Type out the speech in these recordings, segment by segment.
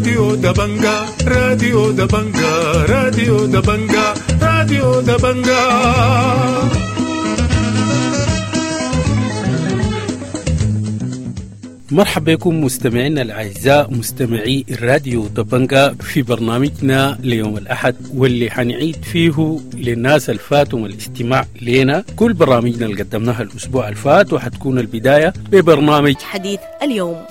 راديو دبنجا، راديو دبنجا، راديو دبنجا، راديو دبنجا. مرحبا بكم مستمعينا الأعزاء مستمعي الراديو دبنجا في برنامجنا ليوم الأحد، واللي حنعيد فيه للناس الفاتهم الاستماع لنا كل برامجنا اللي قدمناها الأسبوع الفات، وحتكون البداية ببرنامج حديث اليوم.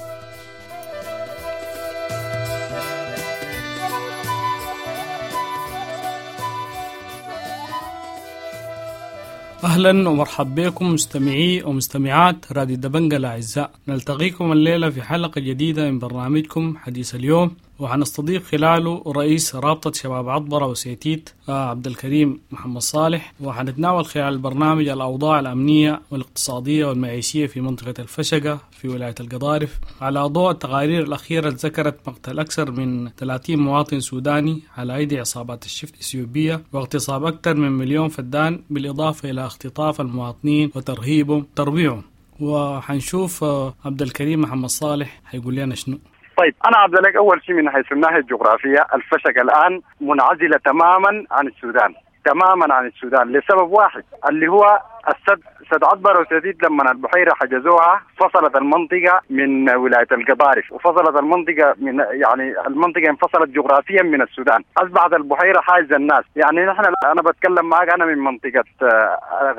أهلا ومرحبا بكم مستمعي ومستمعات راديو دبنجا الأعزاء. نلتقيكم الليلة في حلقة جديدة من برنامجكم حديث اليوم، وحنستضيف خلاله رئيس رابطة شباب عطبرة وسيتيت عبد الكريم محمد صالح، وحنتناول خلال البرنامج الأوضاع الأمنية والاقتصادية والمعيشية في منطقة الفشقة في ولاية القضارف، على ضوء التقارير الأخيرة ذكرت مقتل أكثر من 30 مواطن سوداني على أيدي عصابات الشفت الإثيوبية، واغتصاب أكثر من 1,000,000 فدان، بالإضافة إلى اختطاف المواطنين وترهيبهم ترويعهم. وحنشوف عبد الكريم محمد صالح حيقول لنا شنو. طيب، أنا عبد لك أول شيء من حيث الناحية الجغرافية، الفشقة الآن منعزلة تماما عن السودان، تماما عن السودان لسبب واحد اللي هو السد، سد عطبرة وسديد. لما البحيرة حجزوها فصلت المنطقة من ولاية القضارف، وفصلت المنطقة من يعني المنطقة انفصلت جغرافيا من السودان، أصبحت البحيرة حاجزة الناس. يعني نحن أنا بتكلم معك أنا من منطقة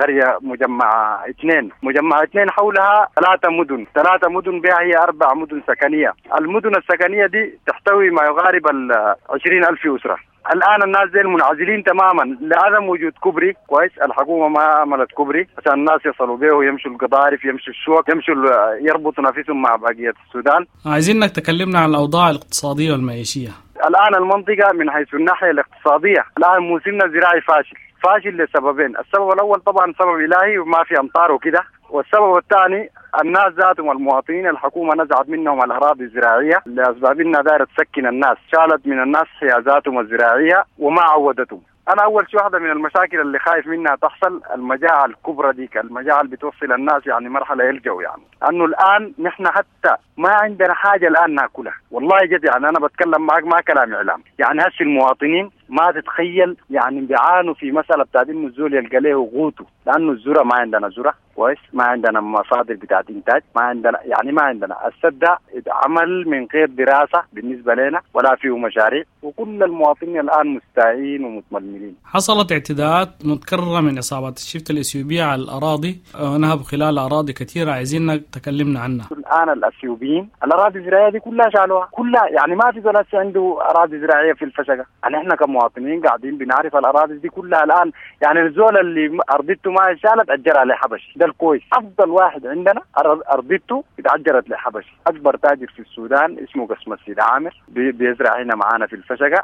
غرية مجمع 2، مجمع 2 حولها 3 مدن، 3 مدن بها هي 4 مدن سكنية. المدن السكنية دي تحتوي ما يقارب 20,000 أسرة. الآن الناس دي منعزلين تماما لعدم وجود كوبري كويس. الحكومة ما عملت كوبري عشان الناس يصلوا به ويمشوا القضارف، يمشوا السوق، يمشوا يربطوا نفسهم مع بقية السودان. عايزينك تكلمنا عن الأوضاع الاقتصادية والمعيشية. الآن المنطقة من حيث الناحية الاقتصادية الآن موسمنا الزراعي فاشل، فاشل لسببين. السبب الأول طبعا سبب إلهي وما في أمطار وكده، والسبب الثاني الناس ذاتهم المواطنين الحكومة نزعت منهم الأراضي الزراعية لأسباب إنها دايرة تسكن الناس، شالت من الناس حيازاتهم الزراعية وما عودتهم. أنا أول شيء واحدة من المشاكل اللي خايف منها تحصل المجاعة الكبرى ديك، المجاعة اللي بتوصل الناس يعني مرحلة يلجوا، يعني أنه الآن نحن حتى ما عندنا حاجة الآن ناكلها. والله جد يعني أنا بتكلم معك ما كلام إعلام، يعني هسه المواطنين ما تتخيل يعني بيعانوا في مسألة بتاعت إنه الزول يلقى له غوته، لأنه الذرة ما عندنا ذرة كويس، ما عندنا مصادر بتاعت إنتاج، ما عندنا يعني ما عندنا. السد ده عمل من غير دراسة بالنسبة لنا ولا فيه مشاريع، وكل المواطنين الآن مستائين ومتململين. حصلت اعتداءات متكررة من عصابات الشفت الإثيوبية على الأراضي، نهب خلال أراضي كثيرة، عايزينك تكلمنا عنها. الآن الأثيوبيين الأراضي الزراعية دي كلها شالوها كلها، يعني ما في زول عنده أراضي زراعية في الفشقة. يعني إحنا كمواطنين قاعدين بنعرف الأراضي دي كلها الآن، يعني الزول اللي أرضيته ما شالت أجرها لحبشي، ده الكويس. أفضل واحد عندنا أرضيته اتأجرت لحبشي، أكبر تاجر في السودان اسمه قسم السيد عامر بيزرع هنا معانا في الفشقة،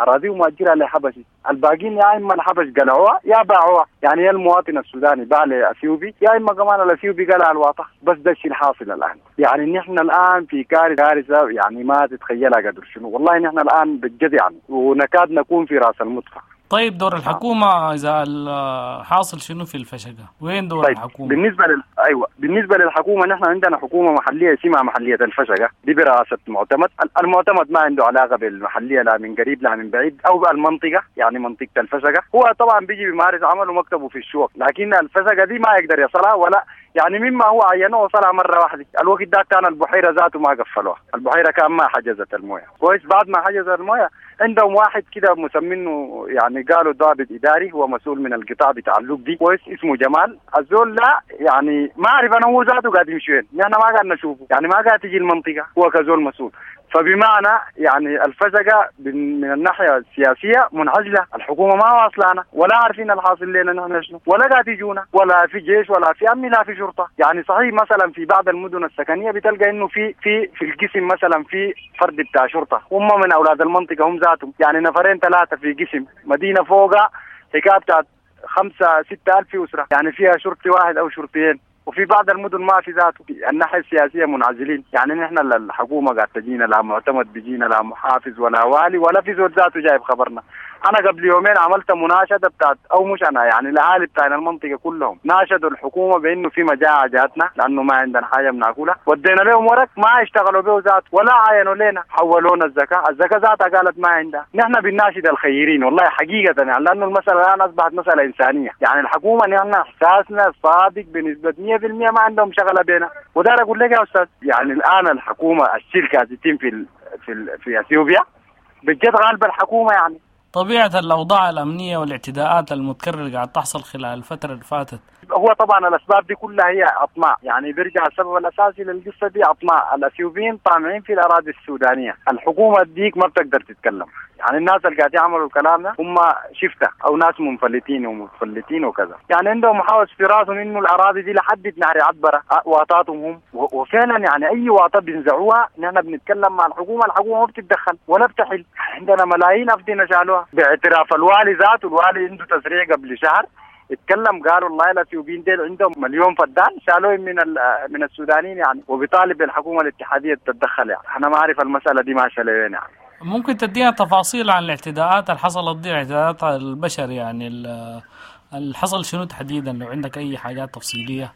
أراضيه مؤجرها لحبشي. الباقيين يا إما الحبش قلعوها يا باعوها، يعني يا المواطن السوداني باع لأثيوبي يا إما كمان الأثيوبي قلع الواطة. بس ده الشيء الحاصل الآن. يعني نحن الآن في كارثة يعني ما تتخيلها قدر شنو، والله نحن الآن بجد يعني ونكاد نكون في رأس المدفع. طيب دور الحكومة إذا حاصل شنو في الفشقة؟ وين دور طيب الحكومة؟ بالنسبة بالنسبة للحكومة نحن عندنا حكومة محلية اسمها محلية الفشقة، دي برئاسة معتمد. المعتمد ما عنده علاقة بالمحلية لا من قريب لا من بعيد أو بالمنطقة، يعني منطقة الفشقة هو طبعا بيجي بيمارس عمله مكتبه في الشوك، لكن الفشقة دي ما يقدر يصلها ولا يعني مما هو عينوه وصلها مرة واحدة. الوقت ده كان البحيرة ذاته ما قفلوها، البحيرة كان ما حجزت المويه كويس. بعد ما حجزت المويه عندهم واحد كده مسمينه يعني قالوا ضابط إداري، هو مسؤول من القطاع بتاع اللوك دي كويس، اسمه جمال. الزول لا يعني ما أعرف أنا هو ذاته قاعد يمشي وين، نحن ما قاعد نشوفه، يعني ما قاعد تيجي المنطقة هو كزول مسؤول. فبمعنى يعني الفشقة من الناحية السياسية منعزلة، الحكومة ما واصلنا ولا عارفين الحاصل لنا نحن شنو، ولا قاعد يجونا، ولا في جيش ولا في أمن لا في شرطة. يعني صحيح مثلا في بعض المدن السكنية بتلقى إنه في في في القسم مثلا في فرد بتاع شرطة، هم من أولاد المنطقة هم ذاتهم، يعني نفرين 3 في قسم مدينة فوقها حكاية بتاعت 5-6 ألف أسرة، يعني فيها شرطي واحد أو شرطيين. وفي بعض المدن ما في ذاته. الناحية السياسية منعزلين، يعني نحن الحكومة قاعد تجينا لا معتمد بيجينا لا محافظ ولا والي ولا في زول ذاته جايب خبرنا. انا قبل يومين عملت مناشده بتاعت، او مش انا يعني الاهالي بتاعنا المنطقة كلهم ناشدوا الحكومة بانه في مجاعة جاتنا لانه ما عندنا حاجة بناكلها، ودينا لهم ورق ما اشتغلوا به ذات ولا عاينوا لنا، حولونا الزكاة، الزكاة ذاتها قالت ما عندها. نحن بنناشد الخيرين والله حقيقة يعني، لانه المسالة الان اصبحت مسالة انسانيه، يعني الحكومة نحن احساسنا صادق بنسبة 100% ما عندهم شغله بينا. ودار اقول لك يا استاذ، يعني الان الحكومة الشركة تتم في في في اثيوبيا بجد غالبه الحكومة يعني. طبيعة الأوضاع الأمنية والاعتداءات المتكررة قاعد تحصل خلال الفترة اللي فاتت، هو طبعا الأسباب دي كلها هي أطماع، يعني بيرجع السبب الأساسي للقصة دي أطماع. الأثيوبيين طامعين في الأراضي السودانية، الحكومة ديك ما بتقدر تتكلم، يعني الناس اللي قاعد يعملوا الكلام ده هم شفتة أو ناس منفلتين ومتفلتين وكذا، يعني عندهم حوس في راسهم إنه الأراضي دي لحد نهر عبرة واطاتهم هم، وفعلا يعني أي واطة بينزعوها نحن بنتكلم مع الحكومة، الحكومة ما بتتدخل ولا بتحل. عندنا ملايين أفدينا شالوها باعتراف الوالي ذاته، الوالي عنده تصريح قبل شهر اتكلم قالوا والله الاثيوبيين ديل عندهم 1,000,000 فدان شالوه من السودانيين يعني، وبيطالب الحكومة الاتحادية تتدخل. يعني انا ما اعرف المسالة دي ماشية لوين يعني. ممكن تدينا تفاصيل عن الاعتداءات اللي حصلت دي، اعتداءات على البشر يعني اللي حصل شنو تحديدا، لو عندك اي حاجات تفصيلية؟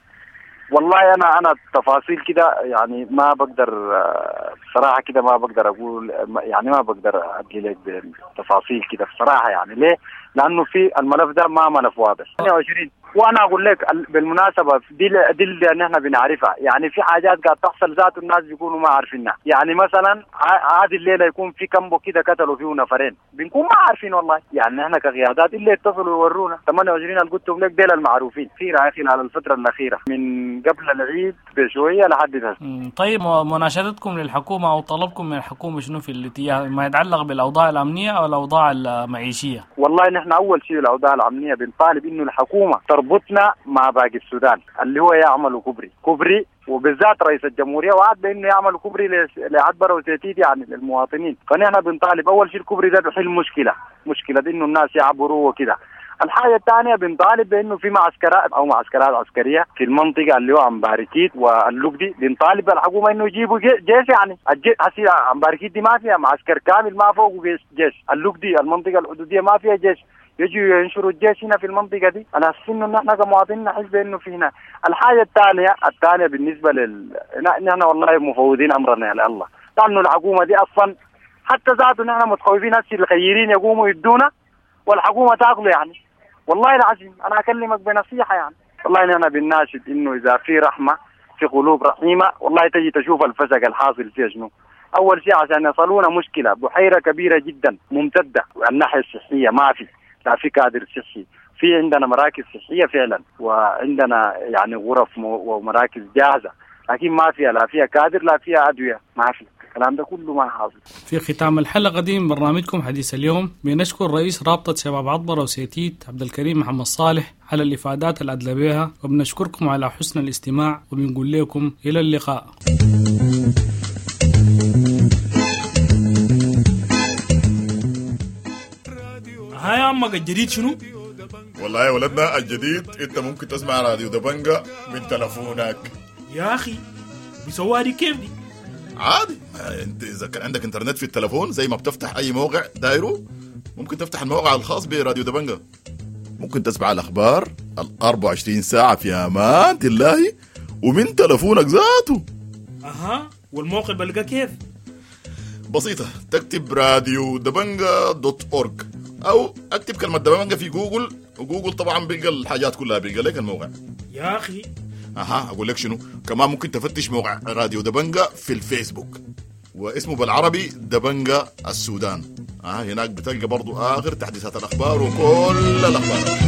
والله انا التفاصيل كده يعني ما بقدر بصراحة كده، ما بقدر اقول يعني، ما بقدر ادي لك بالتفاصيل كده بصراحة يعني. ليه؟ لانه في الملف ده ما ملف واضح. 28 وانا اقول لك بالمناسبة دي اللي نحن بنعرفها، يعني في حاجات قاعد تحصل ذات الناس بيكونوا ما عارفينها. يعني مثلا عادي الليلة يكون في كمبو كده قتلوا فيه نفرين، بنكون ما عارفين والله، يعني نحن كقيادات اللي يتصلوا يورونا 28 اللي قلتهم لك ديل المعروفين في خلال الفترة الاخيرة من قبل العيد بشوية لحد هسه. طيب مناشدتكم للحكومة او طلبكم من الحكومة شنو في الاتجاه ما يتعلق بالاوضاع الامنية او الاوضاع المعيشية؟ والله نحن اول شيء الاوضاع الامنية بنطالب انه الحكومة تربطنا مع باقي السودان اللي هو يعمل كوبري، وبالذات رئيس الجمهورية وعد بانه يعمل كوبري لعبره وسيتيت يعني للمواطنين. فنحن بنطالب اول شيء الكوبري ده بحل مشكلة انه الناس يعبروا وكده. الحاجة الثانية بنطالب بانه في معسكرات او معسكرات عسكرية في المنطقة اللي هو عمباركيت واللقدي، بنطالب الحكومة انه يجيبوا جيش يعني. الجيش عمباركيت دي ما فيها معسكر كامل، ما فوقه جيش. اللقدي المنطقة الحدوديه ما فيها جيش، يجوا ينشروا الجيش هنا في المنطقة دي. انا حاسس انه نحن كمواطنين نحس بانه في هنا. الحاجة الثانية بالنسبة نحن والله مفوضين امرنا على الله، لانه الحكومة دي اصلا حتى ذاته نحن متخوفين هسه الخيرين يقوموا يدونا والحكومة تاكله يعني. والله العظيم انا اكلمك بنصيحة يعني، والله نحن بنناشد انه اذا في رحمه في قلوب رحيمه والله تجي تشوف الفسق الحاصل فيها شنو. اول شيء عشان يصلونا مشكلة بحيرة كبيرة جدا ممتدة، الناحية الصحية ما في، لا في كادر صحي، في عندنا مراكز صحية فعلا وعندنا يعني غرف ومراكز جاهزة، لكن ما فيها لا فيها كادر لا فيها ادوية، ما في الكلام ده كله ما حاصل. في ختام الحلقة دي من برنامجكم حديث اليوم بنشكر رئيس رابطة شباب عطبرة وسيتيت عبد الكريم محمد صالح على الإفادات الأدلى بها، وبنشكركم على حسن الاستماع، وبنقول لكم إلى اللقاء. هاي عمك الجديد شنو؟ والله يا ولدنا الجديد انت ممكن تسمع راديو دبنجة من تلفونك. يا اخي بيسووها دي كيف دي؟ عادي، انت اذا كان عندك انترنت في التلفون زي ما بتفتح اي موقع دايرة ممكن تفتح الموقع الخاص براديو دبنجة، ممكن تسمع الاخبار ال 24 ساعة في امان الله ومن تلفونك ذاته. اها، والموقع بلقى كيف؟ بسيطة، تكتب راديو دبنجة dot org او اكتب كلمة دبنجة في جوجل، وجوجل طبعا بيلقى الحاجات كلها، بيلقى لك الموقع. يا اخي اها، اقول لك شنو كمان، ممكن تفتش موقع راديو دبنجة في الفيسبوك واسمه بالعربي دبنجة السودان. هناك بتلقى برضو اخر تحديثات الاخبار وكل الاخبار.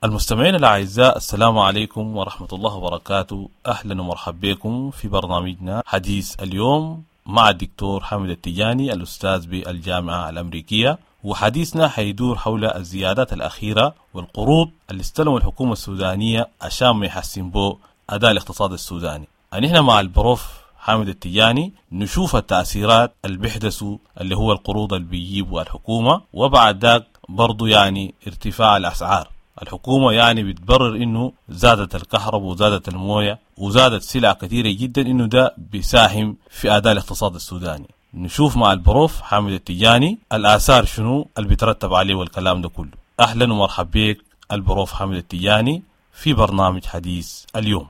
المستمعين الأعزاء، السلام عليكم ورحمة الله وبركاته. أهلا ومرحبا بكم في برنامجنا حديث اليوم مع الدكتور حامد التجاني الأستاذ بالجامعة الأمريكية، وحديثنا حيدور حول الزيادات الأخيرة والقروض اللي استلموا الحكومة السودانية عشان ما يحسن بو أداء الاقتصاد السوداني. نحن مع البروف حامد التجاني نشوف التأثيرات اللي بيحدثوا اللي هو القروض اللي بيجيبوا الحكومة، وبعد ذاك برضو يعني ارتفاع الأسعار. الحكومة يعني بتبرر إنه زادت الكهرباء وزادت الموية وزادت سلع كثيرة جدا، إنه ده بيساهم في أداء الاقتصاد السوداني. نشوف مع البروف حامد التجاني الآثار شنو اللي بيترتب عليه والكلام ده كله. أهلا ومرحبا بك البروف حامد التجاني في برنامج حديث اليوم.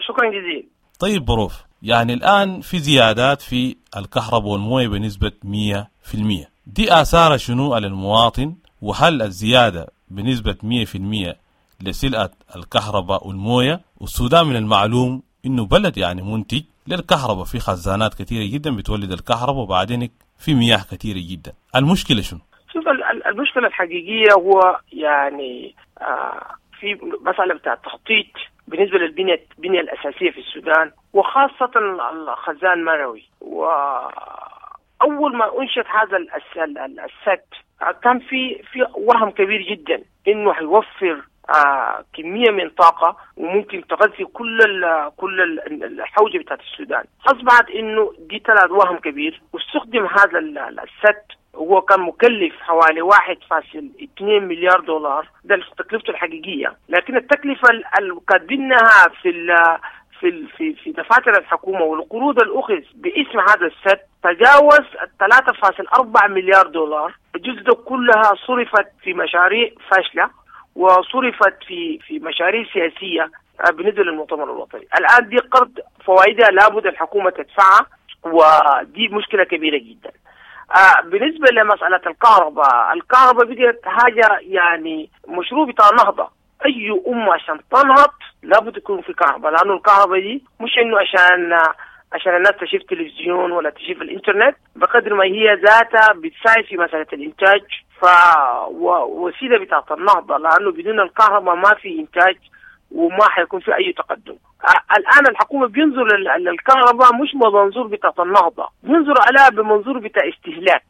شكرا جزيلا. طيب بروف، يعني الآن في زيادات في الكهرباء والموية بنسبة 100%، دي آثارها شنو على المواطن؟ وهل الزيادة بنسبة 100% لسلعة الكهرباء والموية؟ والسودان من المعلوم إنه بلد يعني منتج للكهرباء، في خزانات كثيرة جدا بتولد الكهرباء، وبعدين في مياه كثيرة جدا. المشكلة شنو؟ شوف، المشكلة الحقيقية هو يعني في مسألة بتاع التخطيط بالنسبة للبنية البنية الأساسية في السودان، وخاصة الخزان مروي. وأول ما أنشئت هذا السد كان في وهم كبير جدا إنه هيوفر كمية من طاقة وممكن تغذي كل الحوجة بتاعت السودان. أصبحت إنه دي طلعت وهم كبير، واستخدم هذا السد، هو كان مكلف حوالي 1.2 مليار دولار، ده تكلفته الحقيقية، لكن التكلفة اللي كاتبينها في في في دفاتر الحكومة والقروض الأخذ باسم هذا السد تجاوز 3.4 مليار دولار. الجزء ده كلها صرفت في مشاريع فاشلة، وصرفت في مشاريع سياسية بالنسبة للمؤتمر الوطني. الآن دي قرض فوائدها لابد الحكومة تدفعها، ودي مشكلة كبيرة جدا. بالنسبة لمسألة الكهرباء، الكهرباء بقت حاجة يعني مشروع بتاع نهضة. أي أمة عشان تنهض لابد يكون في كهرباء، لأنه الكهرباء دي مش إنه عشان الناس تشوف تلفزيون ولا تشوف الإنترنت، بقدر ما هي ذاتها بتساعد في مسألة الإنتاج، فوسيلة بتاعت النهضة، لأنه بدون الكهرباء ما في إنتاج وما حيكون في أي تقدم. الآن الحكومة بينظر للكهرباء مش بمنظور بتاعت النهضة، بينظر عليها بمنظور بتاع استهلاك،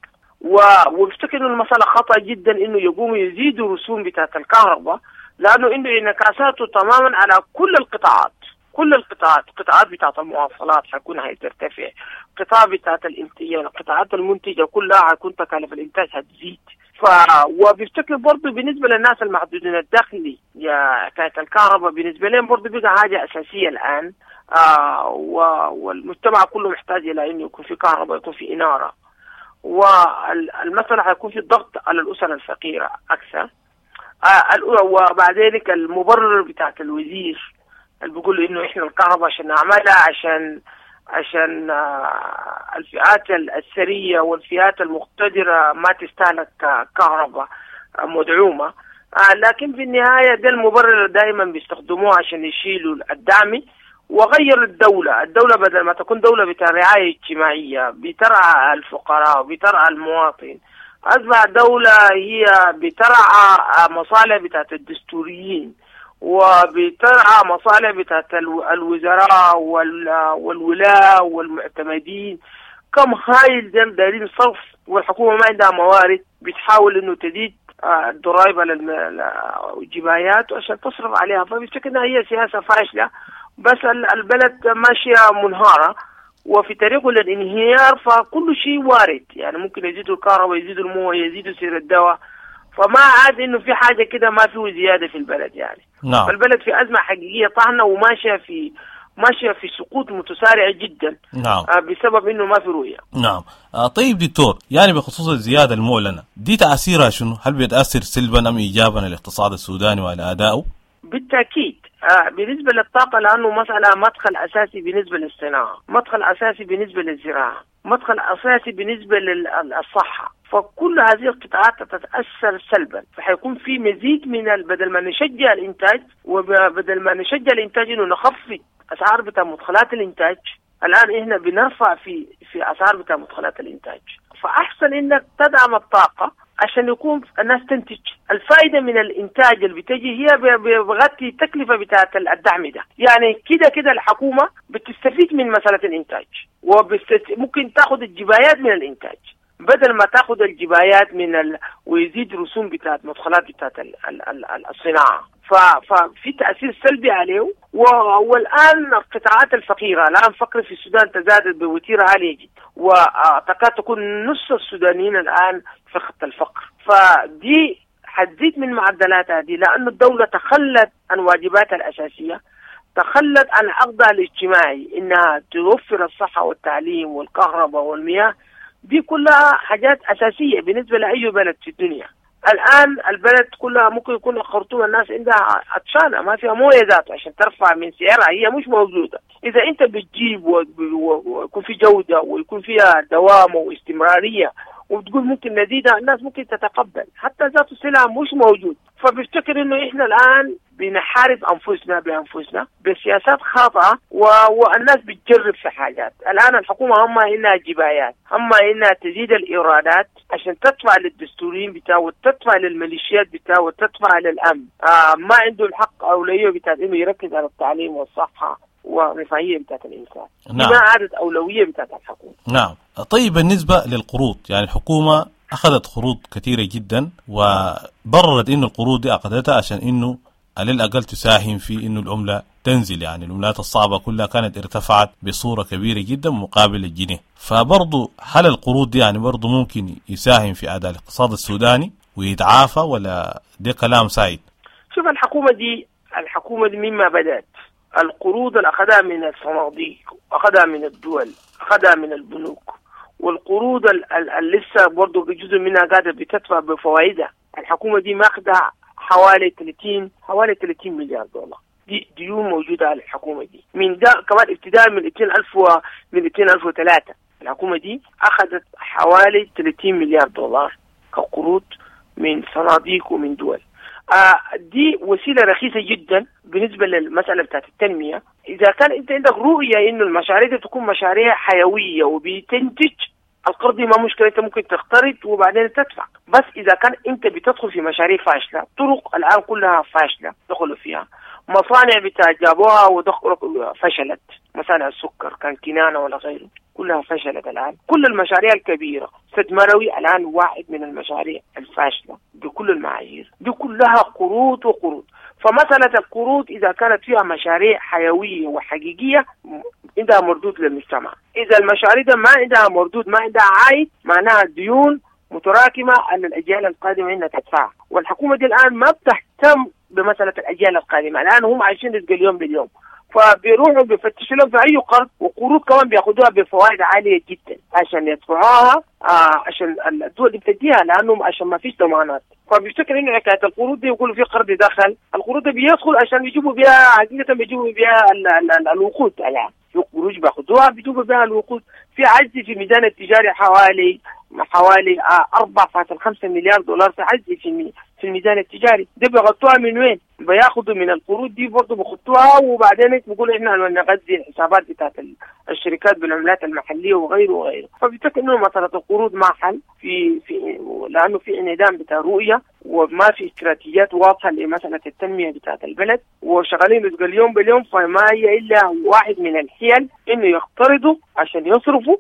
وبفتكر إنه المسألة خطأ جدا إنه يقوموا يزيدوا رسوم بتاعت الكهرباء، لأنه إنه انعكاساته تماما على كل القطاعات، كل القطاعات، قطاعات بتاعت المواصلات حيكون هترتفع، قطاع بتاعت الانتاج، القطاعات المنتجة كلها حيكون تكاليف الإنتاج هتزيد. وبيفتكر برضه بالنسبة للناس المحدودين الدخل يا حكاية الكهرباء بالنسبة لهم برضه بقى حاجة أساسية الآن، والمجتمع كله محتاج إلى إنه يكون في كهرباء، يكون في إنارة، والمسألة حيكون في ضغط على الأسر الفقيرة أكثر. وبعد ذلك المبرر بتاعت الوزير اللي بيقول إنه إحنا الكهرباء عشان نعملها عشان الفئات الثرية والفئات المقتدرة ما تستهلك كهرباء مدعومة، لكن في النهاية ده المبرر دائما بيستخدموه عشان يشيلوا الدعم. وغير الدولة بدل ما تكون دولة بتاع رعاية اجتماعية بترعى الفقراء وبترعى المواطن، أصبح دولة هي بترعى مصالح بتاعت الدستوريين وبترعى مصالح بتاعت الوزراء والولاة والمعتمدين. كم هايل دايرين صرف، والحكومة ما عندها موارد، بتحاول انه تزيد الضرائب على الجبايات عشان تصرف عليها. فبفتكر انها هي سياسة فاشلة، بس البلد ماشية منهارة وفي طريقه للانهيار، فكل شيء وارد، يعني ممكن يزيدوا الكهرباء، يزيدوا المويه، يزيدوا سعر الدواء، فما عاد انه في حاجة كده ما فيه زيادة في البلد يعني. نعم. فالبلد في ازمة حقيقية طاحنة وماشية في سقوط متسارع جدا. نعم. بسبب انه ما في رؤية. نعم. طيب دكتور، يعني بخصوص الزيادة المعلنة دي تاثيرها شنو؟ هل بيتاثر سلبا ام ايجابا على الاقتصاد السوداني وعلى ادائه؟ بالتاكيد. بالنسبة للطاقة، لانه مسالة مدخل اساسي بالنسبة للصناعة، مدخل اساسي بالنسبة للزراعة، مدخل اساسي بالنسبة للصحة، فكل هذه القطاعات تتاثر سلبا، فحيكون في مزيد من بدل ما نشجع الانتاج، وبدل ما نشجع الانتاج انه نخفض اسعار بتاع مدخلات الانتاج، الان احنا بنرفع في اسعار بتاع مدخلات الانتاج. فاحسن انك تدعم الطاقة عشان يكون الناس تنتج. الفائدة من الانتاج اللي بتجي هي بغطي التكلفة بتاعت الدعم ده، يعني كده كده الحكومة بتستفيد من مسالة الانتاج، وممكن تاخذ الجبايات من الانتاج بدل ما تاخذ الجبايات من ويزيد رسوم بتاعت مدخلات بتاعت الصناعة. ففي تاثير سلبي عليه. والان القطاعات الفقيرة، الان الفقر في السودان تزادت بوتيره عالية جدا، وتكاد تكون نص السودانيين الان في خط الفقر، فدي حتزيد من معدلاتها دي، لأنه الدولة تخلت عن واجباتها الأساسية، تخلت عن عقدها الاجتماعي إنها توفر الصحة والتعليم والكهرباء والمياه. دي كلها حاجات أساسية بالنسبة لأي بلد في الدنيا. الآن البلد كلها ممكن يكون الخرطوم الناس عندها عطشانة، ما فيها موية ذاته عشان ترفع من سعرها، هي مش موجودة. إذا أنت بتجيب ويكون في جودة ويكون فيها دوام واستمرارية وبتقول ممكن نزيدها، الناس ممكن تتقبل، حتى ذات السلعة مش موجود. فبفتكر إنه إحنا الآن بنحارب أنفسنا بأنفسنا بسياسات خاطئة، والناس بتجرب في حاجات. الآن الحكومة هم إنها جبايات، هم إنها تزيد الإيرادات عشان تدفع للدستوريين بتاعه وتدفع للميليشيات بتاعه وتدفع للأمن. ما عنده الحق أولوية بتاعت إنه يركز على التعليم والصحة والرفاهية بتاعت الإنسان. نعم. ما عادت أولوية بتاعت الحكومة. نعم. طيب بالنسبة للقروض، يعني الحكومة أخذت قروض كثيرة جدا وبررت إنه القروض دي أخذتها عشان إنه على الأقل تساهم في إنه العملة تنزل، يعني العملات الصعبة كلها كانت ارتفعت بصورة كبيرة جدا مقابل الجنيه. فبرضو هل القروض دي يعني برضو ممكن يساهم في أداء الاقتصاد السوداني ويتعافى، ولا ده كلام سايد؟ شوف، الحكومة دي مما بدأت القروض اللي أخذها من الصناديق، أخذها من الدول، أخذها من البنوك، والقروض اللي لسه برضو جزء منها قاعدة بتدفع بفوائدها. الحكومة دي ماخذها حوالي 30 مليار دولار، دي ديون موجودة على الحكومة دي من ده كمان ابتداء من 2003. الحكومة دي أخذت حوالي 30 مليار دولار كقروض من صناديق ومن دول. دي وسيلة رخيصة جدا بالنسبة للمسألة بتاعت التنمية. إذا كان أنت عندك رؤية إنه المشاريع دي تكون مشاريع حيوية وبتنتج، القرض ما مشكلة، أنت ممكن تقترض وبعدين تدفع. بس إذا كان أنت بتدخل في مشاريع فاشلة، طرق الآن كلها فاشلة دخلوا فيها، مصانع بتاع جابوها ودخلوا فشلت، مصانع السكر كان كنانة ولا غيره كلها فشلت الآن. كل المشاريع الكبيرة، سد مروي الآن واحد من المشاريع الفاشلة بكل المعايير، دي كلها قروض وقروض. فمسألة القروض إذا كانت فيها مشاريع حيوية وحقيقية عندها مردود للمجتمع، إذا المشاريع ده ما عندها مردود، ما عندها عائد، معناها ديون متراكمة على الأجيال القادمة إنها تدفعها. والحكومة دي الآن ما بتهتم بمسألة الأجيال القادمة، الآن هم عايشين رزق اليوم باليوم، فبيروحوا بيفتشوا لهم في أي قرض، وقروض كمان بياخدوها بفوائد عالية جدا عشان يدفعوها، عشان الدول بتديها لأنهم عشان ما فيش ضمانات. فبيفتكر إنه حكاية القروض دي يقولوا في قرض دخل، القروض دي بيدخل عشان يجيبوا بها حقيقة، بيجيبوا بها الوقود. الآن في قروض بياخدوها بيجيبوا بها الوقود. في عجز في ميزان التجاري حوالي 4.5 مليار دولار في عجز في الميزان التجاري. ده بيغطوها من وين؟ بياخدوا من القروض دي برضه بيخطوها، وبعدين بيقولوا احنا نغذي الحسابات بتاعت الشركات بالعملات المحلية وغيره وغيره. فبيفتكر انه مسالة القروض ما حل في لانه في انعدام بتاع رؤية وما في استراتيجيات واضحة لمسالة التنمية بتاعت البلد، وشغالين رزق اليوم باليوم. فما هي الا واحد من الحيل انه يقترضوا عشان يصرفوا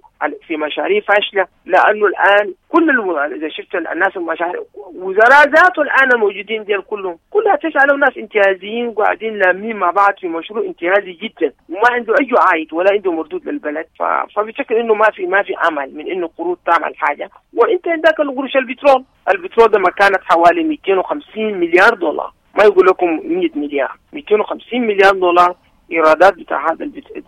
في مشاريع فاشلة، لانه الان كل اذا شفت الناس المشاريع وزراء ذاته الان الموجودين ديل كلهم كلها تسألوا ناس انتهازيين قاعدين لامين مع بعض في مشروع انتهازي جدا وما عنده اي عائد ولا عنده مردود للبلد. فبشكل انه ما في امل من انه قروض تعمل حاجة. وانت عندك القروش البترول ده ما كانت حوالي 250 مليار دولار، ما يقول لكم 100 مليار، 250 مليار دولار ايرادات بتاع هذا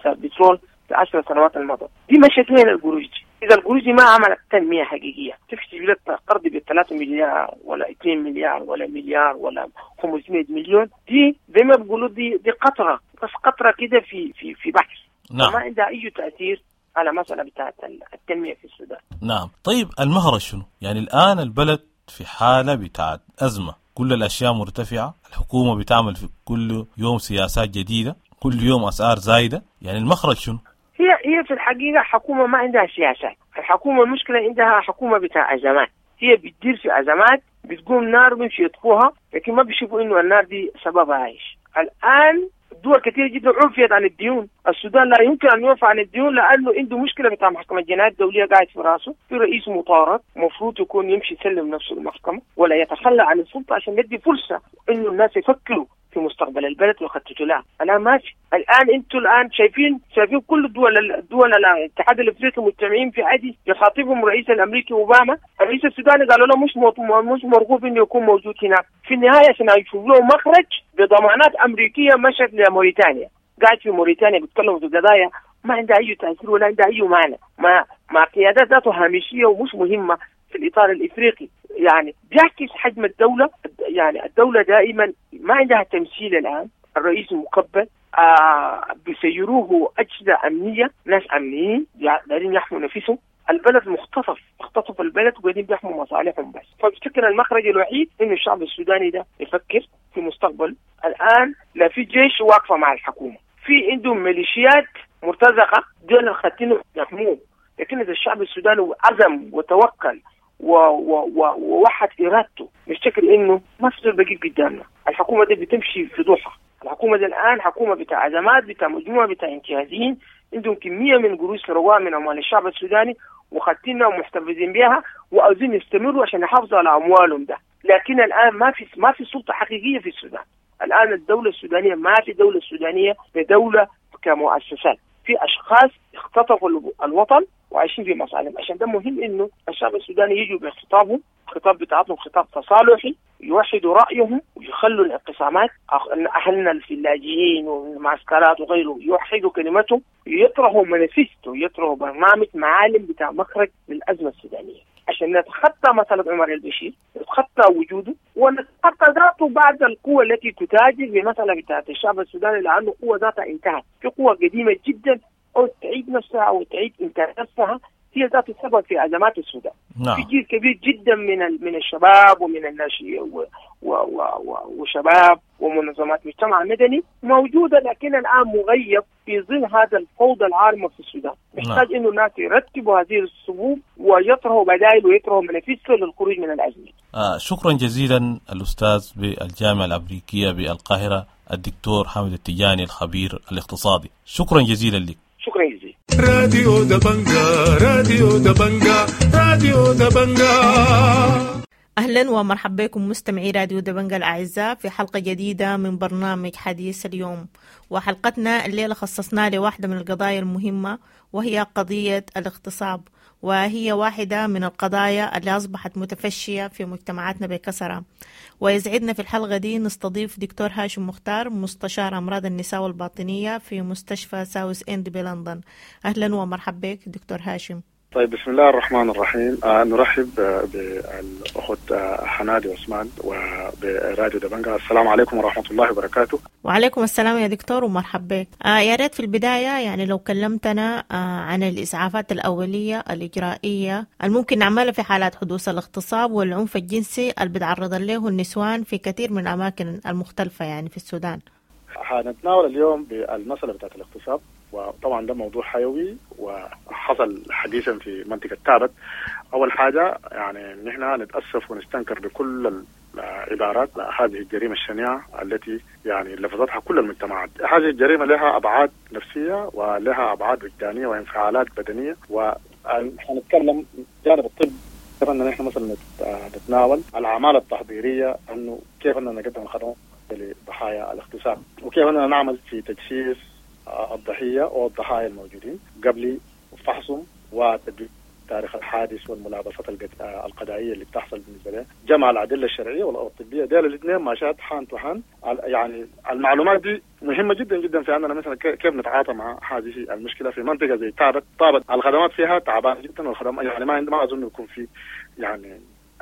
البترول في 10 سنوات الماضية. دي مشت وين القروش دي؟ إذا القروش دي ما عملت تنمية حقيقية، تكتب لك قرض ب 3 مليار ولا 2 مليار ولا مليار ولا 500 مليون، دي زي ما بيقولوا دي قطرة، بس قطرة كده في في في بحر. نعم. ما عندها أي تأثير على مسألة بتاعت التنمية في السودان. نعم. طيب المهرة شنو؟ يعني الآن البلد في حالة بتاعت أزمة، كل الأشياء مرتفعة، الحكومة بتعمل في كل يوم سياسات جديدة، كل يوم أسعار زايدة، يعني المخرج شنو؟ هي في الحقيقة حكومة ما عندها سياسات. الحكومة المشكلة عندها حكومة بتاع أزمات، هي بتدير في أزمات، بتقوم نار بيمشي يطفوها، لكن ما بيشوفوا إنه النار دي سببها إيش. الآن دول كثير جدا عفيت عن الديون، السودان لا يمكن أن يعفى عن الديون لأنه عنده مشكلة بتاع محكمة الجنايات الدولية قاعد في راسه، في رئيس مطارد مفروض يكون يمشي يسلم نفسه المحكمة ولا يتخلى عن السلطة عشان يدي فرصة إنه الناس يفكروا في مستقبل البلد ويخططوا لها. الان ما في. الان انتم الان شايفين كل الدول الاتحاد الافريقي مجتمعين في اديس، يخاطبهم الرئيس الامريكي اوباما، الرئيس السوداني قالوا له مش مرغوب انه يكون موجود هناك. في النهاية عشان يشوف له مخرج بضمانات امريكية مشت لموريتانيا، قاعد في موريتانيا بيتكلموا في قضايا ما عندها اي تاثير ولا عندها اي معنى، مع قيادات ذاته هامشية ومش مهمة في الاطار الافريقي. يعني بيعكس حجم الدولة، يعني الدولة دائما ما عندها تمثيل. الان الرئيس مكبل، بيسيروه اجهزة امنية، ناس امنيين دايرين يحموا نفسهم. البلد مختطف، اختطف البلد وقاعدين بيحموا مصالحهم بس. فبفتكر المخرج الوحيد انه الشعب السوداني ده يفكر في مستقبل. الان لا في جيش واقفة مع الحكومة، في عندهم ميليشيات مرتزقة دول الخاتين يحموه، لكن اذا الشعب السوداني عزم وتوكل ووحد ارادته، نفتكر انه ما في زول بقيف قدامنا. الحكومة دي بتمشي في ضحى. الحكومة دي الان حكومة بتاع ازمات، بتاع مجموعة بتاع انتهازيين، عندهم كمية من قروش سرقوها من اموال الشعب السوداني وخاتينها ومحتفظين بها وعاوزين يستمروا عشان يحافظوا على اموالهم ده. لكن الان ما في سلطة حقيقية في السودان. الان الدولة السودانية ما في دولة سودانيه بدولة كمؤسسات، في اشخاص اختطفوا الوطن وعايشين في مصالحهم. عشان ده مهم انه الشعب السوداني يجوا بخطابهم، خطاب بتاعتهم خطاب تصالحي، يوحدوا رايهم ويخلوا الانقسامات، اهلنا في اللاجئين والمعسكرات وغيره، يوحدوا كلمتهم، يطرحوا مانيفستو، يطرحوا برنامج معالم بتاع مخرج للازمة السودانية، عشان نتخطى مسألة عمر البشير، نتخطى وجوده ونتخطى ذاته بعد القوة التي تتاجر بمسألة بتاعت الشعب السوداني، لأنه قوة ذاتها انتهت. في قوة قديمة جدا أو تعيد نفسها أو تعيد إنتاج نفسها، هي ذات السبب في أزمات السودان. نعم. في جيل كبير جدا من الشباب ومن الناشئين وشباب ومنظمات مجتمع مدني موجودة، لكن الآن مغيب في ظل هذا الفوضى العارمة في السودان. محتاج إنه الناس يرتبوا هذه الصفوف ويطرحوا بدائل ويطرحوا منافسه للخروج من الأزمة. شكرا جزيلا الأستاذ بالجامعة الأمريكية بالقاهرة الدكتور حامد التجاني الخبير الاقتصادي، شكرا جزيلا لك. شكرا جزيلا. راديو دبنجا، راديو دبنجا، راديو دبنجا. أهلا ومرحبا بكم مستمعي راديو دبنجا الأعزاء في حلقة جديدة من برنامج حديث اليوم. وحلقتنا الليلة خصصناها لواحدة من القضايا المهمة، وهي قضية الاغتصاب، وهي واحدة من القضايا اللي أصبحت متفشية في مجتمعاتنا بكثرة. ويسعدنا في الحلقة دي نستضيف دكتور هاشم مختار، مستشار أمراض النساء والباطنية في مستشفى ساوث إند بلندن. أهلا ومرحبا بك دكتور هاشم. طيب، بسم الله الرحمن الرحيم. نرحب بالأخت حنادي عثمان وبراديو دبنجا. السلام عليكم ورحمة الله وبركاته. وعليكم السلام يا دكتور ومرحبا بك. يا ريت في البداية يعني لو كلمتنا عن الإسعافات الأولية الإجرائية الممكن نعملها في حالات حدوث الاغتصاب والعنف الجنسي اللي بتعرض له النسوان في كثير من الأماكن المختلفة يعني في السودان. حنتناول اليوم بالمسألة بتاعت الاغتصاب، وطبعا ده موضوع حيوي وحصل حديثا في منطقة تابت. أول حاجة يعني نحن نتأسف ونستنكر بكل العبارات هذه الجريمة الشنيعة التي يعني لفظتها كل المجتمعات. هذه الجريمة لها أبعاد نفسية ولها أبعاد وجدانية وانفعالات بدنية، وحنتكلم جانب الطب كيف أن نحن مثلا نتناول الأعمال التحضيرية، أنه كيف أننا نقدم الخدمات لضحايا الاغتصاب، وكيف أننا نعمل في تجسيس الضحية أو الضحايا الموجودين قبل فحصهم وتدوين تاريخ الحادث والملابسات القضائية اللي بتحصل بالنسبة لها، جمع الأدلة الشرعية والطبية، ديل الاثنين ماشات hand to hand. يعني المعلومات دي مهمة جدا جدا في أننا مثلا كيف نتعاطى مع هذه المشكلة في منطقة زي تابت. طابت الخدمات فيها تعبانة جدا، والخدمات يعني ما أظن يكون في يعني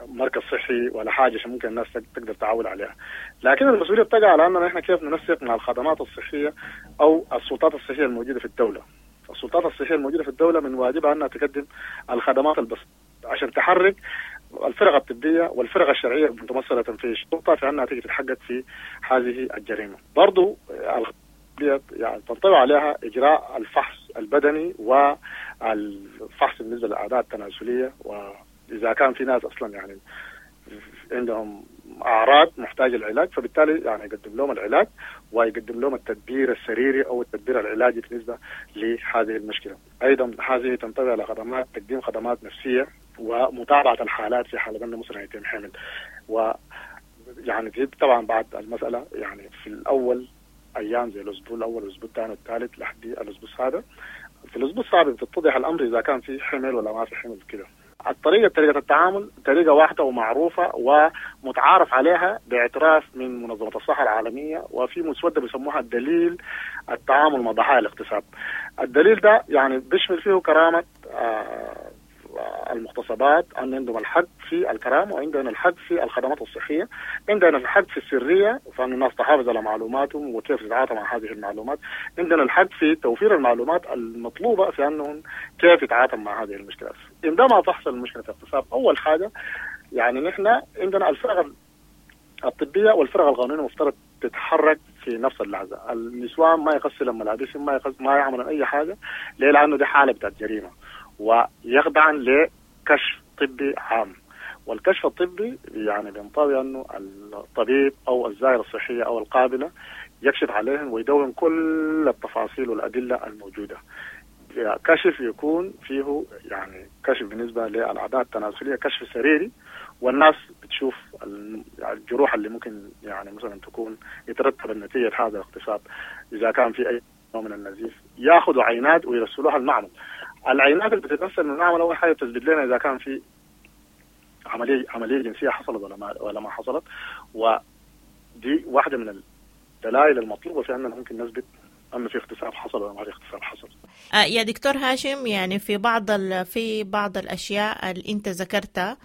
مركز صحي ولا حاجة عشان ممكن الناس تقدر تعول عليها، لكن المسؤولية بتقع على أننا إحنا كيف ننسق مع الخدمات الصحية أو السلطات الصحية الموجودة في الدولة. السلطات الصحية الموجودة في الدولة من واجبها أنها تقدم الخدمات البسيطة عشان تحرك الفرق الطبية والفرق الشرعية المتمثلة في الشرطة في أنها تيجي تتحقق في هذه الجريمة. برضو يعني تنطوي عليها إجراء الفحص البدني والفحص بالنسبة للأعداء التناسلية، وإذا كان في ناس أصلا يعني عندهم أعراض محتاجة العلاج فبالتالي يعني يقدم لهم العلاج ويقدم لهم التدبير السريري أو التدبير العلاجي بالنسبة لهذه المشكلة. أيضا هذه تنطوي على خدمات تقديم خدمات نفسية ومتابعة الحالات في حالة أن مثلا يتم حمل. يعني دي طبعا بعد المسالة يعني في الاول ايام زي الاسبوع الاول والاسبوع الثاني والثالث لحد الاسبوع السابع. في الاسبوع السابع بتتضح الامر اذا كان في حمل ولا ما في حمل كده. طريقة التعامل طريقة واحدة ومعروفة ومتعارف عليها باعتراف من منظمة الصحة العالمية، وفي مسودة بيسموها الدليل التعامل مع ضحايا الاغتصاب. الدليل ده يعني بيشمل فيه كرامة المغتصبات، أن عندهم الحق في الكرامة، وعندنا الحق في الخدمات الصحية، عندنا الحق في السرية فأن الناس تحافظ على معلوماتهم وكيف تتعاطى مع هذه المعلومات، عندنا الحق في توفير المعلومات المطلوبة في أنهم كيف يتعاطى مع هذه المشكلات. عندما تحصل مشكلة اغتصاب أول حاجة يعني نحن عندنا الفرق الطبية والفرق القانونية مفترض تتحرك في نفس اللحظة. النسوان ما يغسلن ملابسهم، ما يعملن أي حاجة، ليه؟ لأنه دي حالة بتاعت جريمة ويخضعا لكشف طبي عام. والكشف الطبي يعني بينطوي أنه الطبيب أو الزائرة الصحية أو القابلة يكشف عليهم ويدون كل التفاصيل والأدلة الموجودة. كشف يكون فيه يعني كشف بالنسبة للأعضاء التناسلية، كشف سريري، والناس بتشوف الجروح اللي ممكن يعني مثلا تكون يترتب النتيجة هذا الاغتصاب إذا كان في أي نوع من النزيف. ياخذوا عينات ويرسلوها المعمل. العينات اللي بتترسل من المعمل أول حاجة تثبت لنا إذا كان في عملية جنسية حصلت ولا ما حصلت، ودي واحدة من الدلائل المطلوبة في أننا ممكن نثبت أنه في اغتصاب حصل ولا ما في اغتصاب حصل. يا دكتور هاشم، يعني في بعض الأشياء اللي أنت ذكرتها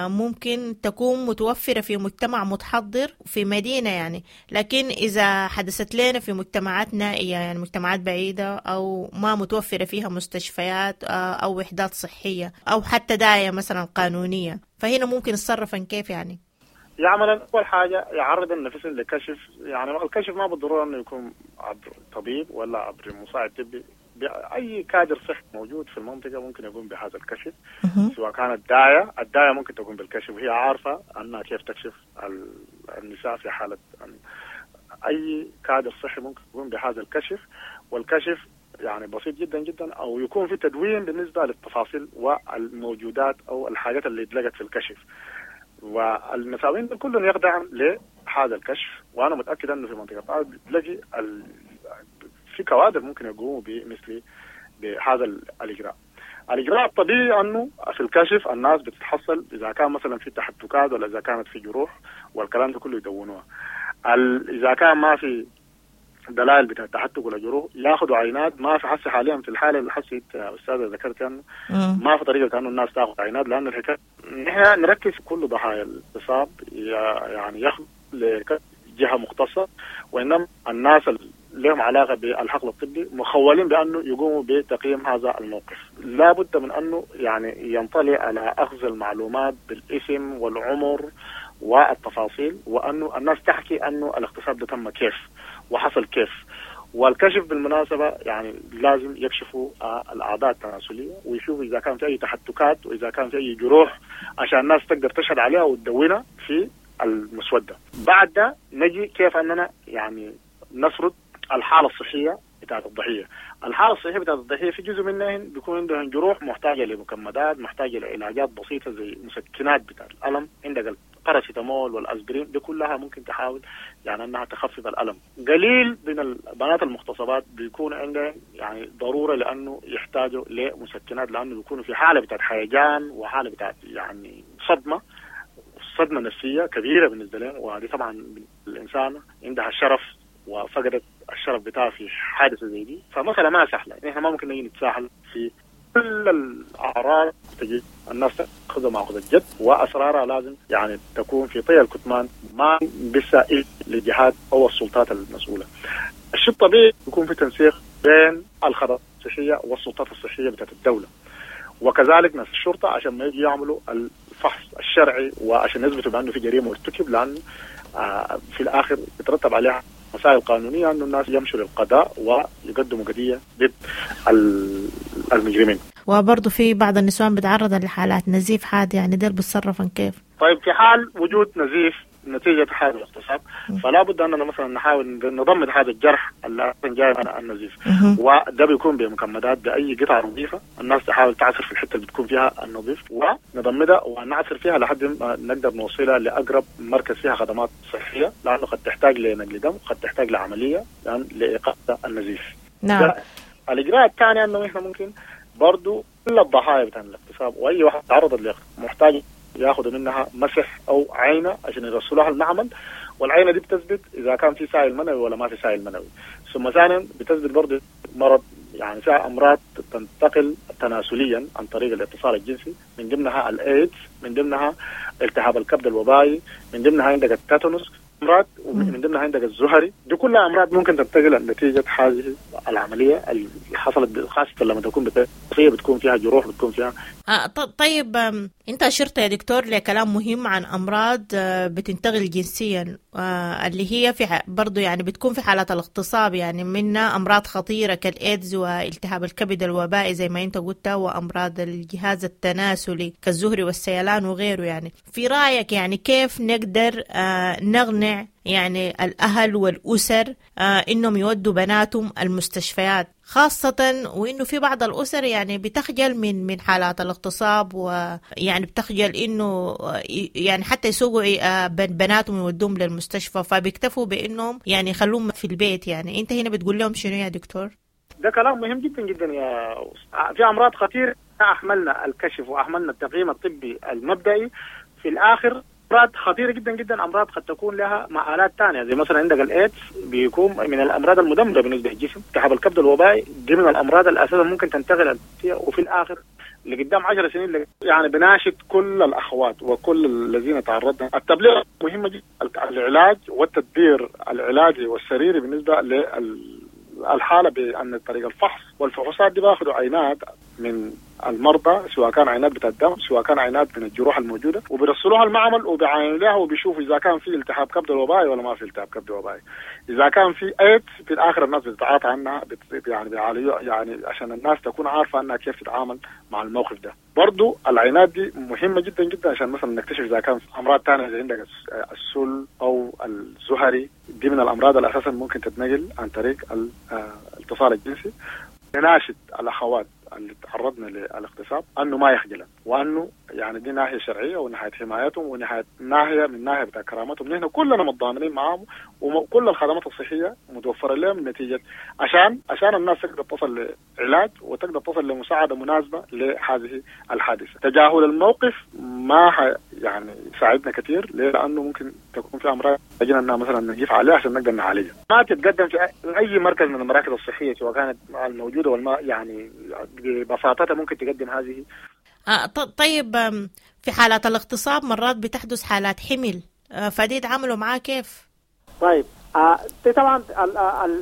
ممكن تكون متوفرة في مجتمع متحضر في مدينة يعني، لكن إذا حدثت لنا في مجتمعاتنا يعني مجتمعات بعيدة أو ما متوفرة فيها مستشفيات أو وحدات صحية أو حتى داعية مثلا قانونية، فهنا ممكن نتصرف كيف يعني؟ يعمل أول حاجة يعرض النفس لكشف، يعني الكشف ما بالضرورة أنه يكون عبر طبيب ولا عبر مساعد طبي، أي كادر صحي موجود في المنطقة ممكن يقوم بهذا الكشف. سواء كانت الداية ممكن تقوم بالكشف وهي عارفة أنها كيف تكشف النساء في حالة أي كادر صحي ممكن يقوم بهذا الكشف. والكشف يعني بسيط جدا جدا، أو يكون في تدوين بالنسبة للتفاصيل والموجودات أو الحاجات اللي اتلقت في الكشف. والنساوين كلهم يخضعن لهذا الكشف، وانا متاكد انه في منطقه بتلاقي في كوادر ممكن يقوموا بمثل بهذا الاجراء. الاجراء الطبيعي انه في الكشف الناس بتتحصل اذا كان مثلا في تحتكات ولا اذا كانت في جروح والكلام ده كله يدونوها. اذا كان ما في دلائل بتاع التحتك ولا جروح ياخذوا عينات. ما في حس حاليا في الحاله اللي حسيت استاذه ذكرت انه ما في طريقه انه الناس تاخذ عينات، لانه الحكايه نحن نركز كل ضحايا الاغتصاب يعني ياخذ لجهه مختصه، وانما الناس اللي لهم علاقه بالحقل الطبي مخولين بانه يقوموا بتقييم هذا الموقف. لا بد من انه يعني ينطلي على اخذ المعلومات بالاسم والعمر والتفاصيل، وانه الناس تحكي انه الاغتصاب ده تم كيف وحصل كيف. والكشف بالمناسبة يعني لازم يكشفوا الأعضاء التناسلية ويشوفوا إذا كان في أي تحتكات وإذا كان في أي جروح عشان الناس تقدر تشهد عليها وتدونها في المسودة. بعد ده نجي كيف أننا يعني نسرد الحالة الصحية بتاعت الضحية. الحالة الصحية بتاعت الضحية في جزء منهن بيكون عندهم جروح محتاجة لمكمدات، محتاجة لعلاجات بسيطة زي مسكنات بتاعت الألم، عندك الباراسيتامول والأسبرين، دي كلها ممكن تحاول يعني أنها تخفف الألم. قليل من البنات المغتصبات بيكون عندهم يعني ضرورة لأنه يحتاجوا لمسكنات، لأنه بيكونوا في حالة بتاعت هيجان وحالة بتاعت يعني صدمة نفسية كبيرة بالنسبة لهم، وهذه طبعا الإنسان عندها شرف وفقدت الشرف بتاعه في حادثة زي دي، فمسألة ما سهلة. نحن ما ممكن نيجي نتساهل في كل الأعراض، تجي الناس تأخذها مأخذ الجد، وأسرارها لازم يعني تكون في طي الكتمان، ما بسائل للجهات أو السلطات المسؤولة. الشيء الطبيعي يكون في تنسيق بين الخدمات الصحية والسلطات الصحية بتاعت الدولة، وكذلك ناس الشرطة عشان ما يجي يعملوا الفحص الشرعي وعشان يثبتوا بأنه في جريمة ارتكب، لأن في الآخر يترتب عليها مسائل قانونية أن الناس يمشوا للقضاء ويقدموا قضية ضد المجرمين. وبرضه في بعض النسوان بتعرض لحالات نزيف حاد، يعني ديل بتصرفن كيف؟ طيب في حال وجود نزيف نتيجة هذا الاغتصاب، فلا بد اننا مثلا نحاول نضمد هذا الجرح اللي جاي من النزيف، وده بيكون بمكمدات باي قطعه نظيفة، الناس تحاول تعصر في الحتة اللي بتكون فيها النظيف ونضمدها ونعصر فيها لحد ما نقدر نوصلها لاقرب مركز فيها خدمات صحية، لانه قد تحتاج لنقل دم، قد تحتاج لعملية لايقاف النزيف. نعم. الاجراء الثاني انه احنا ممكن برضه كل الضحايا بتاع الاغتصاب واي واحد تعرض للاغتصاب محتاج ياخذوا منها مسح او عينه عشان يرسلوها المعمل، والعينه دي بتثبت اذا كان في سائل منوي ولا ما في سائل منوي. ثم ثانيا بتثبت برضه مرض، يعني فيها امراض تنتقل تناسليا عن طريق الاتصال الجنسي، من ضمنها الايدز، من ضمنها التهاب الكبد الوبائي، من ضمنها عندك التاتانوس امراض، ومن ضمنها عندك الزهري. دي كلها امراض ممكن تنتقل نتيجة هذه العملية اللي حصلت، خاصة لما تكون بتكون فيها جروح، بتكون فيها طيب. انت اشرت يا دكتور لكلام مهم عن امراض بتنتقل جنسيا، اللي هي في برضو يعني بتكون في حالات الاغتصاب، يعني منها امراض خطيرة كالايدز والتهاب الكبد الوبائي زي ما انت قلت، وامراض الجهاز التناسلي كالزهري والسيلان وغيره. يعني في رايك يعني كيف نقدر نغنع يعني الأهل والأسر إنهم يودوا بناتهم المستشفيات، خاصة وإنه في بعض الأسر يعني بتخجل من حالات الاغتصاب، ويعني بتخجل إنه يعني حتى يسوقوا بناتهم يودوهم للمستشفى، فبيكتفوا بإنهم يعني يخلوهم في البيت. يعني أنت هنا بتقول لهم شنو يا دكتور؟ ده كلام مهم جدا جدا يا في أمراض خطيرة أحملنا الكشف وأحملنا التقييم الطبي المبدئي، في الآخر أمراض خطيرة جدا جدا، أمراض قد تكون لها مآلات ثانية، زي مثلا عندك الإيدز بيكون من الأمراض المدمرة بالنسبة للجسم، التهاب الكبد الوبائي دي من الأمراض اللي أساسا ممكن تنتقل، وفي الآخر اللي قدام 10 سنين يعني بناشد كل الأخوات وكل الذين تعرضنا. التبليغ مهم جدا، العلاج والتدبير العلاجي والسريري بالنسبة للحالة، بأن طريق الفحص والفحوصات دي باخذوا عينات من المرضى، سواء كان عينات بتاع الدم، سواء كان عينات من الجروح الموجودة، وبيرسلوها المعمل وبيعاينوا لها وبيشوفوا اذا كان في التهاب كبد الوبائي ولا ما في التهاب كبد وبائي. اذا كان في ايدز في الاخر الناس بتتعاطى عنها، يعني بيعالجوها، يعني عشان الناس تكون عارفه انها كيف تتعامل مع الموقف ده. برضو العينات دي مهمة جدا جدا عشان مثلا نكتشف اذا كان امراض ثانية زي عندك السل او الزهري، دي من الامراض اللي اساسا ممكن تتنقل عن طريق الاتصال الجنسي. نناشد الاخوات اللي تعرضنا للاغتصاب انه ما يخجلن، وانه يعني دي ناحية شرعية وناحية حمايتهم وناحية ناحية من ناحية بتاع كرامتهم. نحن كلنا متضامنين معاهم وكل الخدمات الصحية متوفرة لهم نتيجة عشان الناس تقدر تصل لعلاج وتقدر تصل لمساعده مناسبة لهذه الحادثة. تجاهل الموقف ما يعني يساعدنا كثير، ليه؟ لانه ممكن تكون في امراض يجينا انها مثلا نجيف عليها عشان نقدر نعالجها. ما تتقدم في اي مركز من المراكز الصحية سواء كانت الموجودة والما، يعني ببساطة ممكن تقدم هذه. طيب في حالات الاغتصاب مرات بتحدث حالات حمل، فدي يتعاملوا معاه كيف؟ طيب طبعا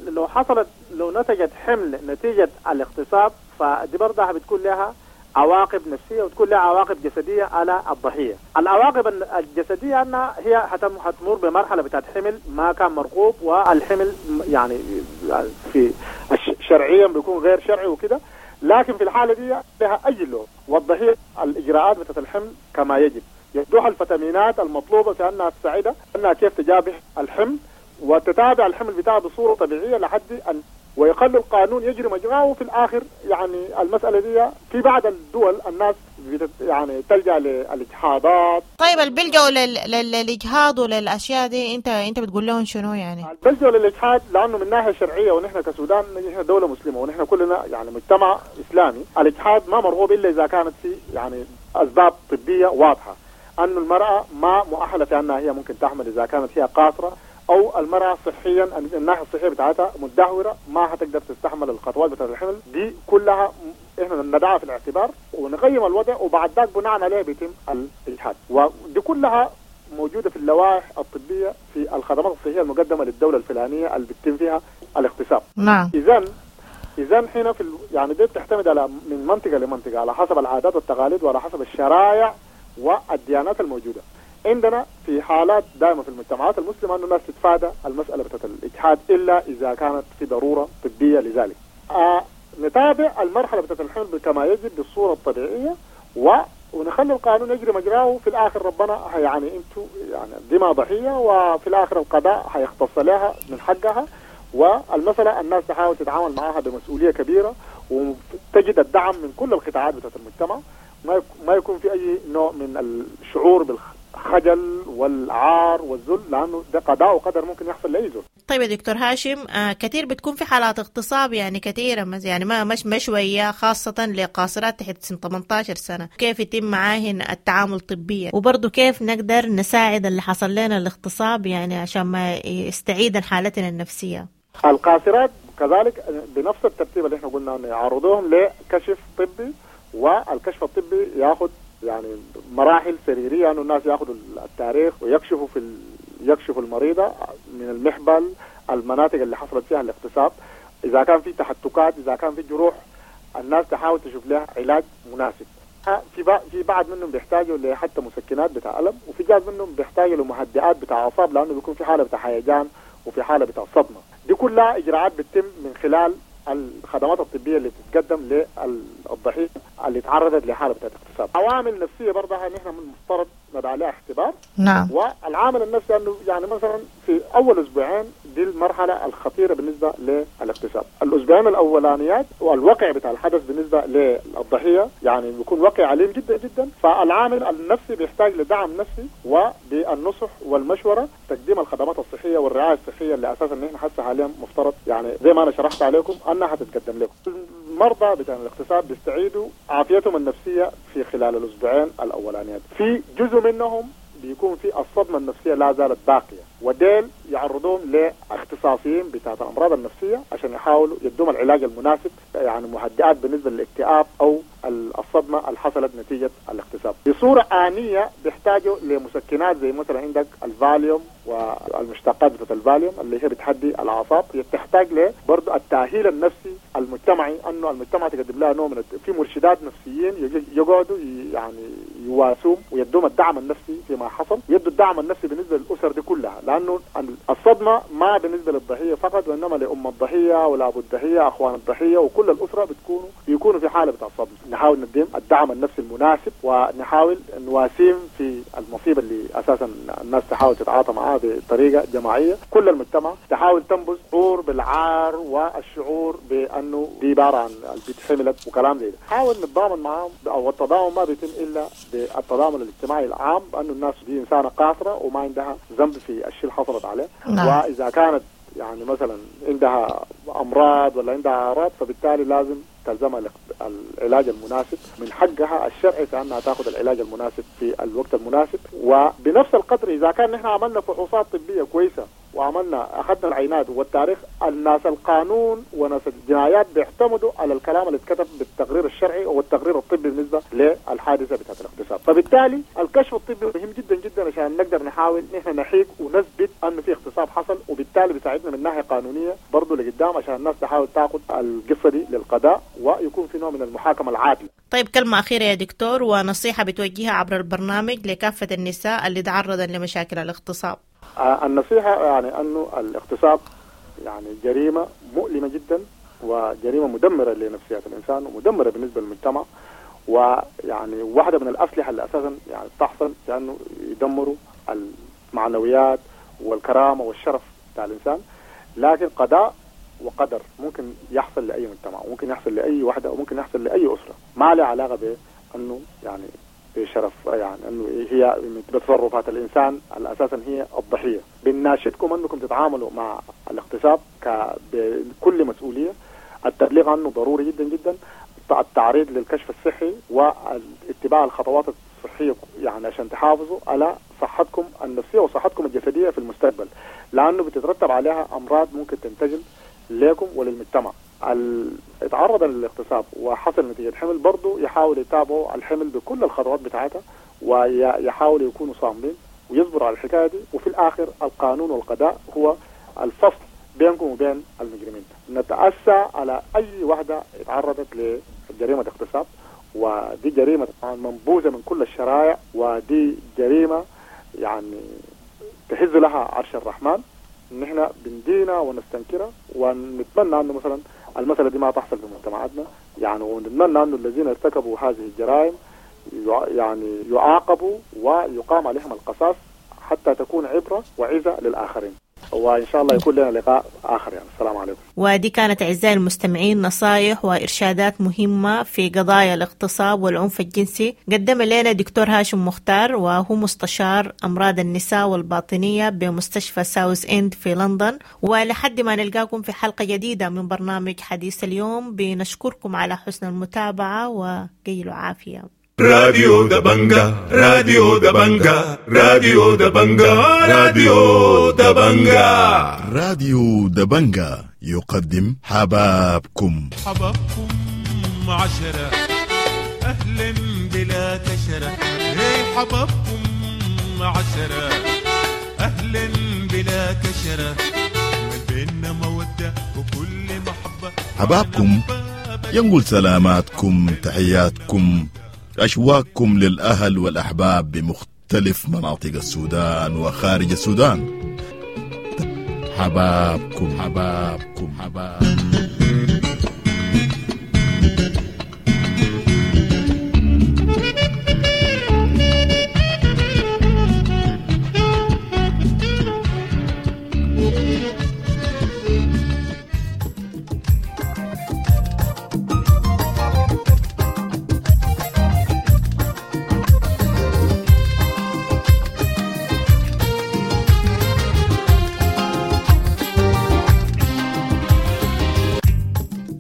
لو حصلت، لو نتجت حمل نتيجة الاغتصاب، فدي برضها بتكون لها عواقب نفسية وتكون لها عواقب جسدية على الضحية. العواقب الجسدية أنها هي هتمر بمرحلة بتاعت حمل ما كان مرغوب، والحمل يعني في شرعيا بيكون غير شرعي وكده، لكن في الحالة دي لها أي لون. والضحية الإجراءات بتاعت الحمل كما يجب، يدوها الفيتامينات المطلوبة في أنها تساعدها أنها كيف تجابه الحمل وتتابع الحمل بتاعها بصورة طبيعية لحد أن ويخلي القانون يجري مجراه. وفي الآخر يعني المسألة دي في بعض الدول الناس يعني تلجأ للإجهاضات. طيب اللي بيلجأوا للإجهاض وللأشياء دي أنت بتقول لهم شنو يعني؟ بيلجأوا للإجهاض لأنه من ناحية شرعية، ونحن كسودان نحن دولة مسلمة ونحن كلنا يعني مجتمع إسلامي، الإجهاض ما مرغوب إلا إذا كانت في يعني أسباب طبية واضحة أن المرأة ما مؤهلة في أنها هي ممكن تحمل إذا كانت هي قاصرة، او المراة صحيا الناحية الصحية بتاعتها متدهوره ما هتقدر تستحمل الخطوات بتاعت الحمل دي كلها. احنا ندعها في الاعتبار ونقيم الوضع، وبعد ذاك بناء عليه بيتم الاجهاض. ودي كلها موجودة في اللوائح الطبية في الخدمات الصحية المقدمة للدولة الفلانية اللي بيتم فيها الاغتصاب. نعم. اذا هنا في يعني دي بتعتمد على من منطقة لمنطقه على حسب العادات والتقاليد وعلى حسب الشرائع والديانات الموجودة. عندنا في حالات دائما في المجتمعات المسلمة أن الناس تتفادى المسألة بتاعت الإجهاض إلا إذا كانت في ضرورة طبية لذلك. نتابع المرحلة بتاعت الحمل كما يجب بالصورة الطبيعية، ونخلي القانون يجري مجراه. في الاخر ربنا يعني انتوا يعني دي ما ضحية، وفي الاخر القضاء هيختص لها من حقها. والمسألة الناس تحاول تتعامل معها بمسؤولية كبيرة وتجد الدعم من كل القطاعات بتاعت المجتمع، ما يكون في أي نوع من الشعور بالخجل والعار والذل، لأنه ده قضاء وقدر ممكن يحصل لأي زول. طيب يا دكتور هاشم، كثير بتكون في حالات اغتصاب يعني كثيرة، يعني ما مش مشوية، خاصة لقاصرات تحت سن 18 سنة، كيف يتم معاهن التعامل طبيا؟ وبرضه كيف نقدر نساعد اللي حصل لنا الاغتصاب يعني عشان ما يستعيد حالتنا النفسية؟ القاصرات كذلك بنفس الترتيب اللي احنا قلنا انه يعرضوهم لكشف طبي، والكشف الطبي ياخذ يعني مراحل سريرية، انه الناس ياخذوا التاريخ ويكشفوا يكشفوا المريضة من المحبل، المناطق اللي حصلت فيها الاغتصاب، اذا كان في تحتكات، اذا كان في جروح، الناس تحاول تشوف لها علاج مناسب. في بعض منهم بيحتاجوا لحتى مسكنات بتاع ألم، وفي جاز منهم بيحتاجوا لمهدئات بتاع اعصاب، لانه بيكون في حاله بتاع هيجان وفي حاله بتاع صدمة. دي كلها اجراءات بتتم من خلال الخدمات الطبية اللي بتتقدم للضحيه اللي تعرضت لحاله بتاعت اغتصاب. عوامل نفسية برضها نحن من المفترض نضع لها اعتبار. نعم. والعامل النفسي انه يعني مثلا في اول اسبوعين دي المرحلة الخطيرة بالنسبة للاغتصاب، الاسبوعين الاولانيات والوقع بتاع الحدث بالنسبة للضحيه يعني بيكون وقع عليم جدا جدا، فالعامل النفسي بيحتاج لدعم نفسي وبالنصح والمشورة، تقديم الخدمات الصحية والرعاية الصحية اللي اساسا نحن حاسه حاليا مفترض يعني زي ما انا شرحت عليكم انها هتتقدم لكم. المرضى بتاع الاغتصاب بيستعيدوا عافيتهم النفسية في خلال الاسبوعين الاولانيات، في جزء منهم بيكون في الصدمة النفسية لا زالت باقية، وديل يعرضوهم لاختصاصيين بتاعت الامراض النفسية عشان يحاولوا يدوهم العلاج المناسب، يعني مهدئات بالنسبة للاكتئاب او الصدمة اللي حصلت نتيجة الاغتصاب. بصورة انية بيحتاجوا لمسكنات زي مثلا عندك الفاليوم والمشتقات بتاعت الفاليوم اللي هي بتهدي الاعصاب، تحتاج ل برضه التاهيل النفسي المجتمعي، انه المجتمع تقدم لها نوع من في مرشدات نفسيين يقعدوا يعني يواسوهم ويدوهم الدعم النفسي فيما حصل، يدوا الدعم النفسي بالنسبة للاسر دي كلها، لانه الصدمة ما بالنسبة للضحيه فقط، وانما لام الضحية ولابو الضحية، اخوان الضحية، وكل الاسرة بيكونوا في حاله بتاع الصدمة. نحاول نديهم الدعم النفسي المناسب ونحاول نواسيهم في المصيبة اللي اساسا الناس تحاول تتعاطى معها بطريقة جماعية، كل المجتمع تحاول تنبذ شعور بالعار والشعور بانه دي عبارة عن البيت حملت وكلام زي ده. حاول نتضامن معاهم، او التضامن ما بيتم الا بالتضامن الاجتماعي العام، بانه الناس دي انسانه قاصرة وما عندها ذنب في الشيء اللي حصلت عليه. نعم. واذا كانت يعني مثلا عندها امراض ولا عندها اعراض، فبالتالي لازم تلزمها العلاج المناسب، من حقها الشرعي في انها تاخذ العلاج المناسب في الوقت المناسب. وبنفس القدر اذا كان نحن عملنا فحوصات طبية كويسة وعملنا اخذنا العينات والتاريخ، الناس القانون وناس الجنايات بيعتمدوا على الكلام اللي اتكتب بالتقرير الشرعي او التقرير الطبي بالنسبة للحادثه بتاعت الاغتصاب، فبالتالي الكشف الطبي مهم جدا جدا عشان نقدر نحاول نحن نحيك ونثبت انه في اغتصاب حصل، وبالتالي بيساعدنا من ناحية قانونية برضه لقدام عشان الناس تحاول تاخذ القصة دي للقضاء ويكون في نوع من المحاكمة العادلة. طيب كلمة اخيرة يا دكتور ونصيحة بتوجهها عبر البرنامج لكافة النساء اللي تعرضن لمشاكل الاغتصاب. النصيحة يعني أنه الاغتصاب يعني جريمة مؤلمة جدا وجريمة مدمرة لنفسيات الإنسان ومدمرة بالنسبة للمجتمع، ويعني واحدة من الأسلحة اللي أساسا يعني تحصل لأنه يدمروا المعنويات والكرامة والشرف بتاع الإنسان. لكن قضاء وقدر ممكن يحصل لأي مجتمع، وممكن يحصل لأي وحدة، وممكن يحصل لأي أسرة، ما له علاقة بأنه يعني بشرف، يعني انه هي بتصرفات الانسان اساسا هي الضحية. بنناشدكم انكم تتعاملوا مع الاغتصاب بكل مسؤولية، التبليغ عنه ضروري جدا جدا، التعريض للكشف الصحي واتباع الخطوات الصحية يعني عشان تحافظوا على صحتكم النفسية وصحتكم الجسدية في المستقبل، لانه بتترتب عليها امراض ممكن تنتقل لكم وللمجتمع. اتعرض للاغتصاب وحصل نتيجة حمل برضه يحاول يتابعوا الحمل بكل الخطوات بتاعتها، ويحاولوا يكونوا صامدين ويصبروا على الحكاية دي، وفي الآخر القانون والقضاء هو الفصل بينكم وبين المجرمين. نتأسى على أي وحدة اتعرضت لجريمة اغتصاب، ودي جريمة منبوذة من كل الشرائع، ودي جريمة يعني تهز لها عرش الرحمن. نحن بندينا ونستنكرها ونتمنى أنه مثلا المسألة دي ما تحصل في مجتمعاتنا يعني، ونتمنى أنه الذين ارتكبوا هذه الجرائم يعني يعاقبوا ويقام عليهم القصاص حتى تكون عبرة وعظة للآخرين. وإن شاء الله يكون لنا لقاء آخر يعني. السلام عليكم. ودي كانت أعزائي المستمعين نصائح وإرشادات مهمة في قضايا الاغتصاب والعنف الجنسي قدم لنا دكتور هاشم مختار، وهو مستشار أمراض النساء والباطنية بمستشفى ساوث إند في لندن. ولحد ما نلقاكم في حلقة جديدة من برنامج حديث اليوم، بنشكركم على حسن المتابعة وقيلوا عافية. راديو دبنجا، راديو دبنجا، راديو دبنجا، راديو دبنجا. راديو دبنجا يقدم حبابكم. حبابكم 10 أهلا بلا كشرة. هي حبابكم 10 أهلا بلا كشرة، ما بيننا مودة وكل محبة. حبابكم ينقل سلاماتكم، تحياتكم، أشواقكم للأهل والأحباب بمختلف مناطق السودان وخارج السودان. حبابكم حبابكم حبابكم.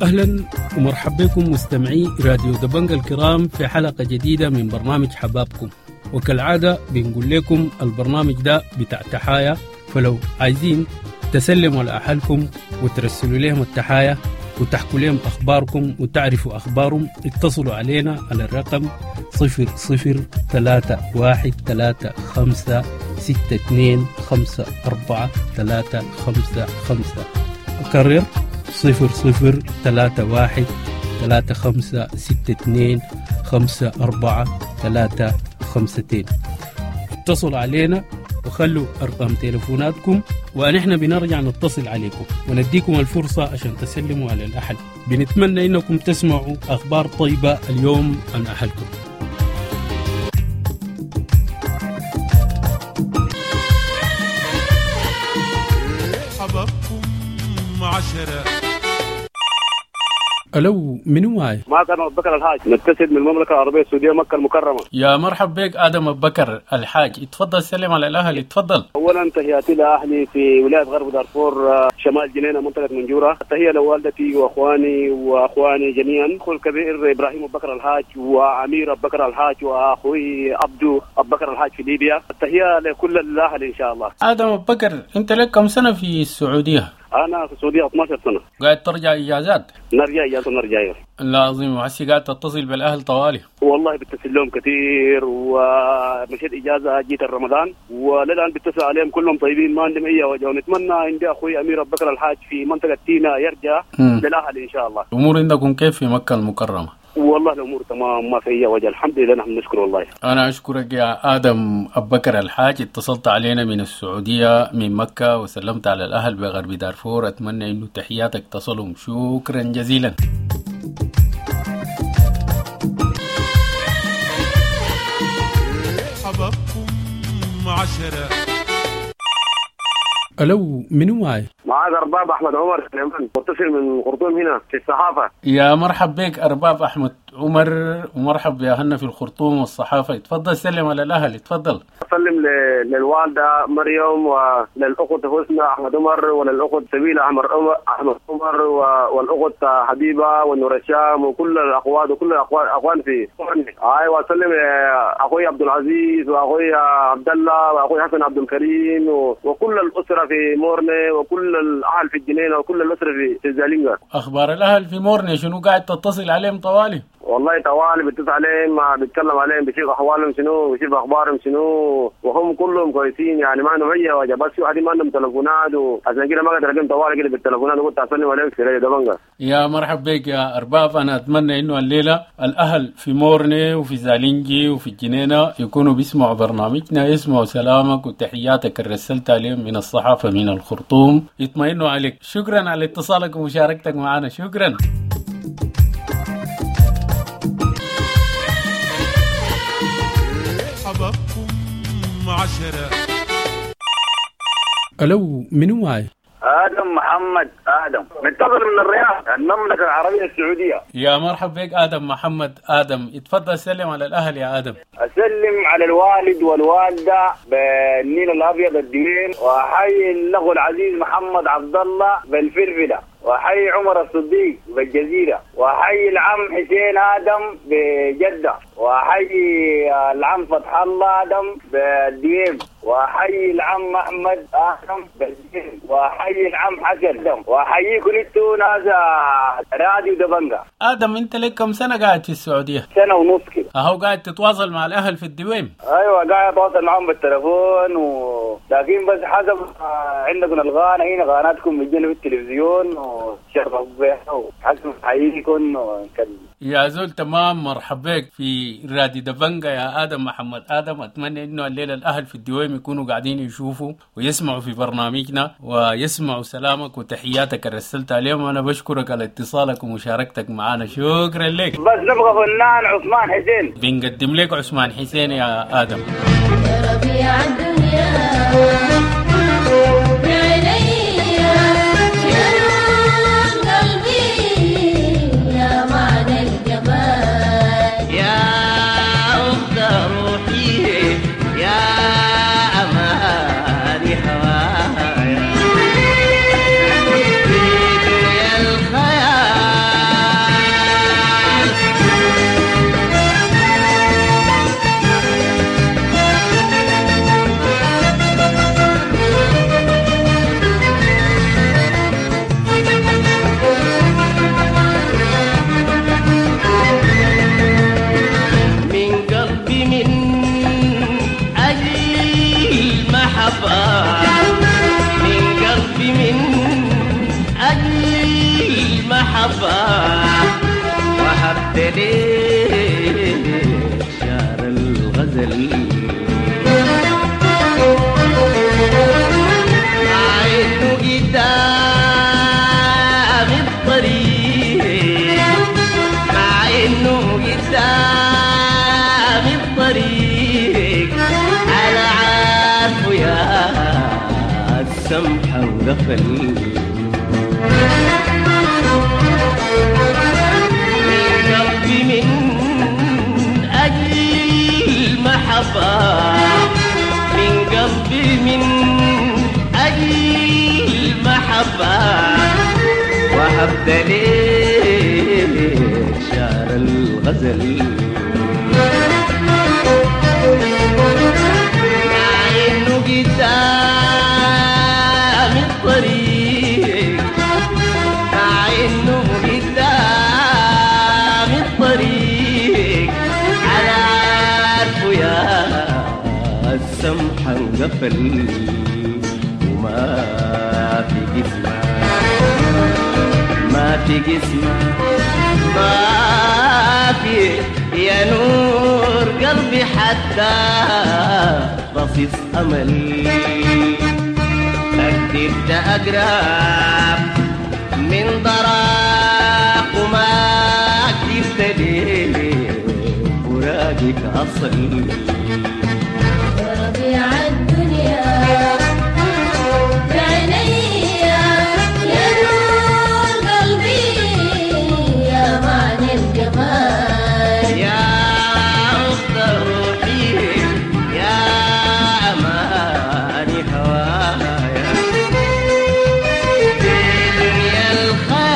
أهلا ومرحبا بكم مستمعي راديو دبنجا الكرام في حلقة جديدة من برنامج حبابكم. وكالعادة بنقول لكم البرنامج ده بتاع تحايا، فلو عايزين تسلموا على أهلكم وترسلوا لهم التحايا وتحكوا لهم أخباركم وتعرفوا أخبارهم، اتصلوا علينا على الرقم 00 3 1 3 5 6 2 5 4 3 5 5. أكرر 00 3 1 3 5 6 2 5 4 3 5 2. اتصلوا علينا وخلوا أرقام تليفوناتكم ونحن بنرجع نتصل عليكم ونديكم الفرصة عشان تسلموا على الأهل. بنتمنى إنكم تسمعوا أخبار طيبة اليوم عن أهلكم. حبابكم 10. ألو، منو معي؟ معك أنا أبو بكر الحاج، نتصل من المملكة العربية السعودية مكة المكرمة. يا مرحب بك آدم أبو بكر الحاج، اتفضل سلم على الأهل، اتفضل. أولا تحياتي لأهلي في ولاية غرب دارفور شمال جنينة منطقة منجورة، تحية لوالدتي وأخواني وأخواني جميعا، أخو الكبير إبراهيم أبو بكر الحاج وأمير أبو بكر الحاج وأخوي عبدو أبو بكر الحاج في ليبيا، التحية لكل الأهل إن شاء الله. آدم أبو بكر، أنت لك كم سنة في السعودية؟ أنا في السعودية 12 سنة. قاعد ترجع إجازات؟ نرجع إجازة نرجع. لا عظيم. وحسي قاعد تتصل بالأهل طوالي؟ والله بتصل لهم كثير، ومشيت إجازة جيت الرمضان وللآن بتصل عليهم كلهم طيبين ما عندهم أي وجه، ونتمنى عندي أخوي أمير أبو بكر الحاج في منطقة تينا يرجع للأهل إن شاء الله. الأمور عندكم كيف في مكة المكرمة؟ والله الأمور تمام ما في أي وجه، الحمد لله، نحن نشكر والله. أنا أشكرك يا آدم أبو بكر الحاج، اتصلت علينا من السعودية من مكة وسلمت على الأهل بغرب دارفور، أتمنى إنه تحياتك تصلهم. شكرا جزيلا. حبابكم 10. ألو، منو معي؟ معاذ أرباب أحمد عمر سليمان، متصل من الخرطوم هنا في الصحافة. يا مرحب بك أرباب أحمد عمر، ومرحب بأهلنا في الخرطوم والصحافة. اتفضل سلم على الأهل، اتفضل. أسلم للوالدة مريم وللأخت حسنى أحمد عمر وللأخت سبيلة أحمد عمر والأخت حبيبة ونور الشام وكل الأخوات وكل الأخوان في. أيوة، أسلم أخوي عبد العزيز وأخوي عبد الله وأخوي حسن عبد الكريم وكل الأسرة في مورني وكل الأهل في الجنينة وكل الأسرة في الزالينجا. أخبار الأهل في مورني شنو؟ قاعد تتصل عليهم طوالي؟ والله طوالي بتصل عليهم، بتكلم عليهم، بشوف احوالهم شنو، بشوف اخبارهم شنو، وهم كلهم كويسين يعني ما عندهم اي وجه، بس في واحدين ما عندهم تليفونات وعشان كده ما قدر الاقيهم طوالي كده بالتليفونات، وقلت اسلم عليهم في راديو دبنجا. يا مرحب بك يا ارباب، انا اتمنى انه الليله الاهل في مورني وفي زالينجي وفي الجنينه يكونوا بيسمعوا برنامجنا، يسمعوا سلامك وتحياتك اللي رسلتها لهم من الصحافه من الخرطوم، يطمئنوا عليك. شكرا على اتصالك ومشاركتك معنا، شكرا. عشرة. ألو، منو معي؟ آدم محمد آدم، متصل من الرياض، المملكة العربية السعودية. يا مرحب بك آدم محمد آدم، اتفضل سلم على الأهل يا آدم. أسلم على الوالد والوالدة بالنيل الأبيض الدين، وأحيي الأخو العزيز محمد عبد الله بالفلفلة، وأحيي عمر الصديق بالجزيرة، وأحيي العم حسين آدم بجدة، وأحيي العم فتح الله آدم بالديم، وأحيي العم أحمد آدم بالديم، وأحيي العم حسن دم، وأحييكم انتوا ناس راديو دبنجا. آدم، أنت لك كم سنة قاعد في السعودية؟ سنة ونص كده. أهو قاعد تتواصل مع الأهل في الدويم؟ أيوة، قاعد أتواصل معهم بالتليفون لكن بس حسب عندكم الغانة هنا، غاناتكم بتجينا في التلفزيون وشرف بها وحسب حييكم ونكلم. يا زول تمام، مرحبا بك في راديو دبنجا يا آدم محمد آدم. أتمنى إنه الليلة الأهل في الدويم يكونوا قاعدين يشوفوا ويسمعوا في برنامجنا ويسمعوا سلامك وتحياتك اللي رسلتها عليهم. أنا بشكرك على اتصالك ومشاركتك معنا، شكرا لك. بس نبغى فنان عثمان حسين. بنقدم لك عثمان حسين يا آدم. يا ربيع الدنيا بعيني يا نور قلبي يا معنى الجمال، يا أخت روحي يا أماني هوايا في دنيا الخيال. من قلبي من أجل المحبة، من قلبي من أجل المحبة، وهبت ليك شعر الغزل. مع إنه قدام الطريق، مع إنه قدام الطريق، أنا عارفه يا السمحة وقفل. من قلبي من أجل المحبة، من قلبي من أجل المحبة، وهبت ليك شعر الغزل. مع إنه قدام الطريق، مع إنه قدام الطريق، أنا عارفه يا السمحة انقفل، وما في قسمة، ما في قسمة، ما في يا نور قلبي حتى بصيص أمل. قدرت أقرب من ضراك وما قدرت ليه فراقك أصل. يا ربيع الدنيا بعيني يا نور قلبي يا معنى الجمال، يا أخت روحي يا أماني هوايا في دنيا الخيال.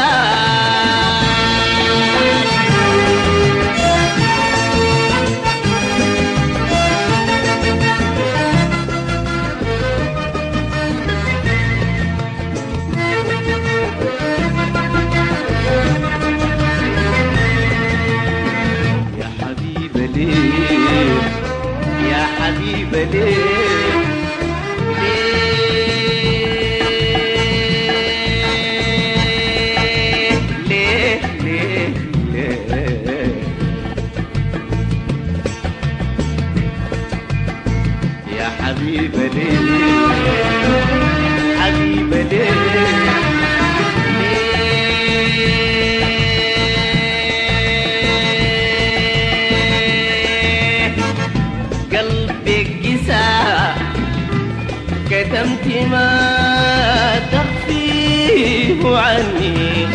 انت ما تخفيه عني،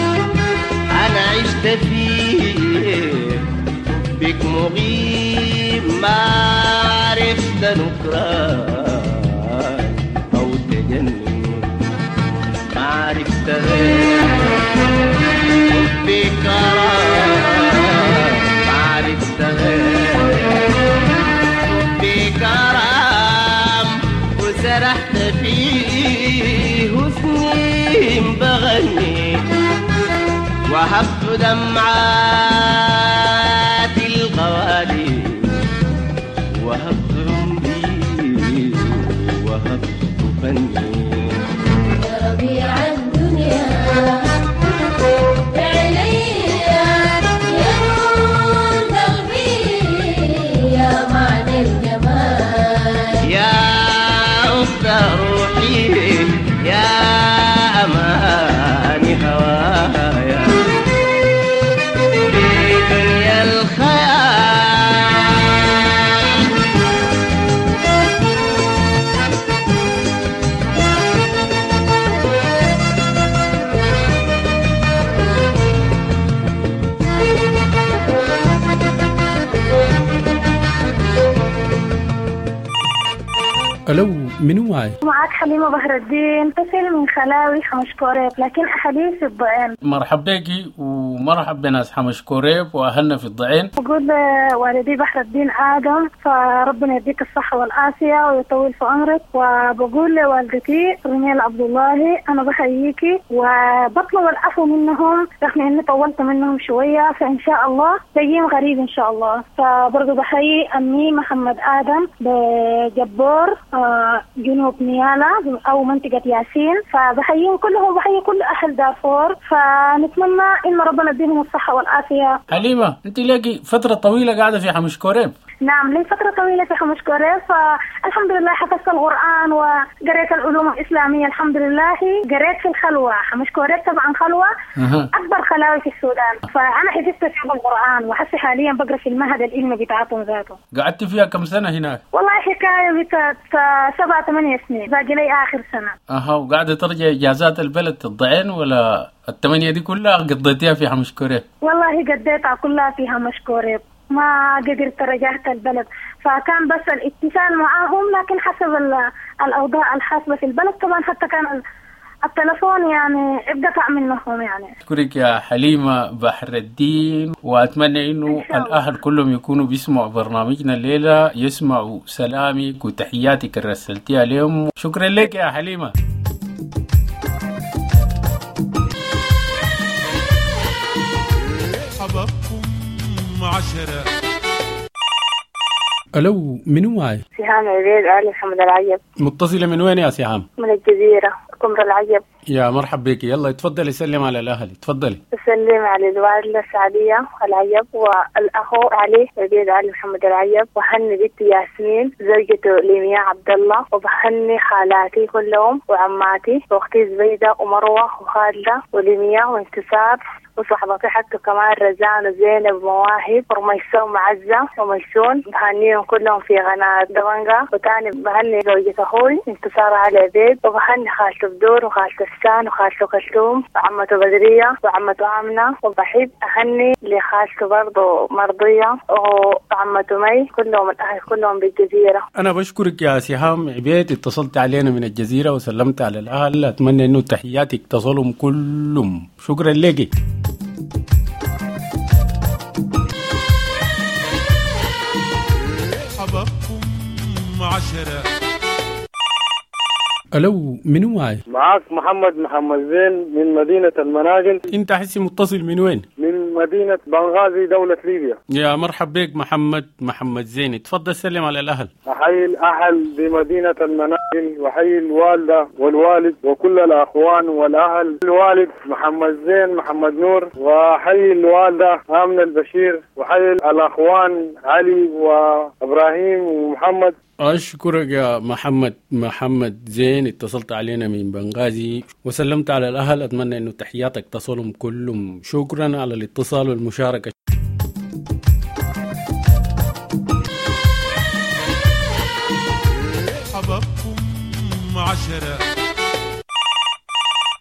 انا عشت فيه حبك مغيب، ما عرفت نكران او تجني، ما عرفت غير حبك غرام، ما عرفت غير حبك غرام، وسرحت فيه سنين بغني، وهبت دمعات الغوالي، وهبت عمري وهبت فني. يا ربيع الدنيا بعينيا، يا نور قلبي، يا معنى الجمال. يا أخت روحي، يا أماني هوايا، في دنيا الخيال. ألو، منو معي؟ معك حليمة بحر الدين، تصل من خلاوي حمشكوريب، لكن أهلي في الضعين. مرحب بيكي ومرحب بناس حمشكوريب وأهلنا في الضعين. بقول والدي بحر الدين آدم، فربنا يديك الصحة والعافية ويطول في عمرك. وبقول لوالدتي رميل عبد الله أنا بحييكي وبطلب العفو منهم رغم إني طولت منهم شوية، فإن شاء الله تقييم غريب إن شاء الله. فبرضه بحيي أمي محمد آدم بجبور جنوب نيالا أو منطقة ياسين، فبحييهم كلهم وبحيي كل أهل دارفور، فنتمنى إن ربنا يديهم الصحة والعافية. حليمة، أنت لقي فترة طويلة قاعدة في حمشكوريب. نعم، لي فترة طويلة في حمشكوريب، فالحمد لله حفظت القرآن وقريت العلوم الإسلامية الحمد لله. قريت في الخلوة، حمشكوريب طبعا خلوة أكبر خلاوي في السودان، فأنا حفظت في القرآن وحسي حاليا بقرأ في المهد العلمي بتاعتهم ذاته. قعدت فيها كم سنة هناك؟ والله حكاية بتاعت 7-8 سنين، باقي لي آخر سنة. وقاعدة ترجع إجازات البلد الضعين ولا ال8 دي كلها قضيتيها في حمشكوريب؟ والله قضيتها كلها في حمشكوريب، ما قدرت رجعت البلد، فكان بس الاتصال معاهم، لكن حسب الأوضاع الحاصلة في البلد طبعا، حتى كان التلفون يعني اتقطع منهم يعني. أشكرك يا حليمة بحر الدين، وأتمنى إنه الأهل كلهم يكونوا بيسمعوا برنامجنا الليلة، يسمعوا سلامك وتحياتك اللي رسلتيها لهم. شكرا لك يا حليمة. حبابكم 10. ألو، منو معي؟ سهام عبيد آل محمد العجب. متصلة من وين يا سهام؟ من الجزيرة، كمر العجب. يا مرحب بك، يلا تفضلي سلم على الأهل، تفضلي. تسلم على الوالدة السعدية العجب والأخو علي عبيد علي محمد العجب، وحني بنتي ياسمين زوجته ليمياء عبد الله، وبحني خالاتي كلهم وعماتي واختي زبيدة ومروة وخالدة وليمياء وانتصار، وصحبتي حتى كمان رزان وزينب ومواهب ورميسون ومعزة وميسون، بهنيهم كلهم في قناة دبنجة. وتاني بهني زوجة أخوي انتصار علي عبيد، وبهني خالته بدور وخالته فستان وخالته كلثوم وعمته بدرية وعمته آمنة، وبحب أهني لخالته برضو مرضية وعمته مي، كلهم الأهل كلهم بالجزيرة. أنا بشكرك يا سهام عبيد، اتصلت علينا من الجزيرة وسلمت على الأهل، أتمنى إنه تحياتك تصلهم كلهم. شكرا لك. حبابكم 10. ألو، منو معي؟ معاك محمد زين من مدينة المناجل. أنت حسي متصل من وين؟ من مدينة بنغازي دولة ليبيا. يا مرحب بك محمد زين، تفضل سلم على الأهل. أحيي الأهل بمدينة المناجل، وحيي الوالدة والوالد وكل الأخوان والأهل. الوالد محمد زين محمد نور، وحيي الوالدة آمنة البشير، وحيي الأخوان علي وإبراهيم ومحمد. أشكرك يا محمد زين، اتصلت علينا من بنغازي وسلمت على الأهل، أتمنى أنه تحياتك تصلهم كلهم. شكرا على الاتصال والمشاركة. حبابكم 10. 10.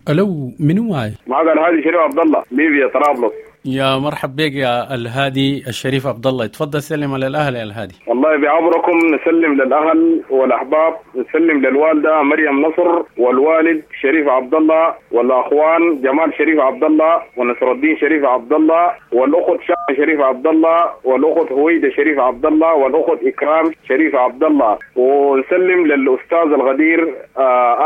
ألو، منو معي؟ معك الهادي شريف عبد الله، ليبيا طرابلس. يا مرحب بك يا الهادي الشريف عبد الله، تفضل سلم على الاهل يا الهادي. والله بعبركم نسلم للاهل والاحباب، نسلم للوالده مريم نصر والوالد شريف عبد الله والاخوان جمال شريف عبد الله ونصر الدين شريف عبد الله والاخت شاهين شريف عبد الله والاخت هويده شريف عبد الله والاخت اكرام شريف عبد الله، ونسلم للاستاذ الغدير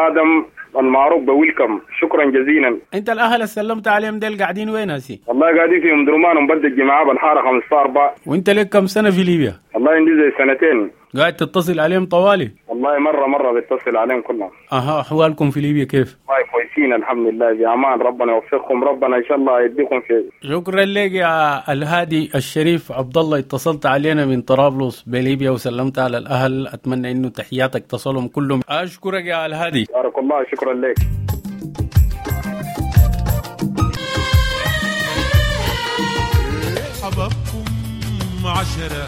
ادم المعروف بويلكم، شكرا جزيلا. انت الاهل اللي سلمت عليهم ديل قاعدين وين هسي؟ والله قاعدين في ام درمان ومبدل الجماعه بالحاره 15. وانت لك كم سنه في ليبيا؟ والله عندي زي سنتين. قاعد تتصل عليهم طوالي؟ والله مرة بتصل عليهم كلهم. اها، احوالكم في ليبيا كيف؟ والله كويسين الحمد لله، بامان، ربنا يوفقكم، ربنا ان شاء الله يديكم في. شكرا لك يا الهادي الشريف عبد الله، اتصلت علينا من طرابلس بليبيا وسلمت على الاهل، اتمنى انه تحياتك تصلهم كلهم. اشكرك يا الهادي. بارك الله، شكرا لك. حبابكم 10.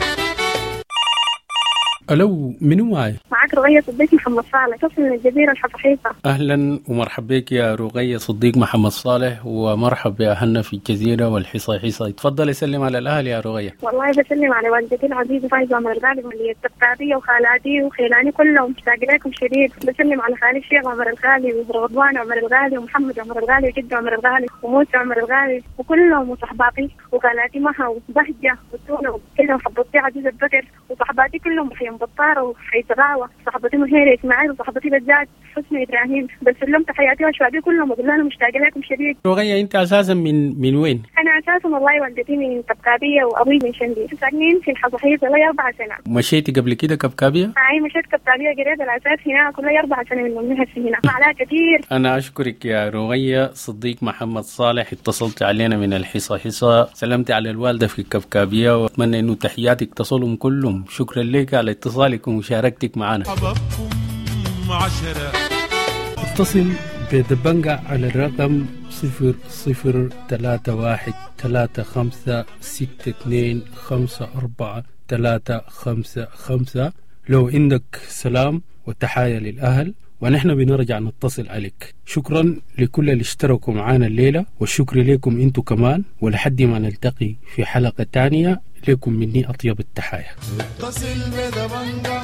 ألو، منو معي؟ معك رقية صديق محمد صالح، تصل من الجزيرة الحصحيصة. أهلا ومرحبا بك يا رقية صديق محمد صالح، ومرحبا بأهلنا في الجزيرة والحصيحيصة. تفضل سلم على الأهل يا رقية. والله بسلم على والدتي العزيزة فايزة عمر الغالي من التبتابية وخالاتي وخيلاني كلهم، مشتاق لكم شديد. بسلم على خالي الشيخ عمر الغالي ورضوان عمر الغالي ومحمد عمر الغالي وجد عمر الغالي وموسى عمر الغالي وكلهم، وصحباتي وخالاتي مها وبهجة وتونة وكلهم، حبوبتي عزيزة بكر وصحباتي كلهم حي بطارة وحي سغاوة، صاحبتي مهيرة إسماعيل وصاحبتي بالذات حسني إبراهيم. بسلم تحياتي وأشواقي كلهم وبقول أنا مشتاقة لكم شديد. رقية، أنت أساسا من وين؟ أنا أساسا والله والدتي من كبكابية وأبوي من شندي، ساكنين في الحصحيصة لي 4 سنة. مشيتي قبل كده كبكابية؟ أي مشيت كبكابية، قريت الأساس هناك لي 4 سنة من أمي هسه هنا، على كثير. أنا أشكرك يا رقية صديق محمد صالح، اتصلت علينا من الحصحيصة، سلمت على الوالدة في الكبكابية، وأتمنى إنه تحياتك تصلهم كلهم. شكرا لك على اتصالك ومشاركتك معنا. حبابكم 10. اتصل بدبنجة على الرقم 0031 35 62 54 355 لو عندك سلام وتحايا للأهل، ونحن بنرجع نتصل عليك. شكرا لكل اللي اشتركوا معانا الليلة، والشكر لكم انتو كمان، ولحد ما نلتقي في حلقة تانية لكم مني أطيب التحايا. اتصل بدبنجة.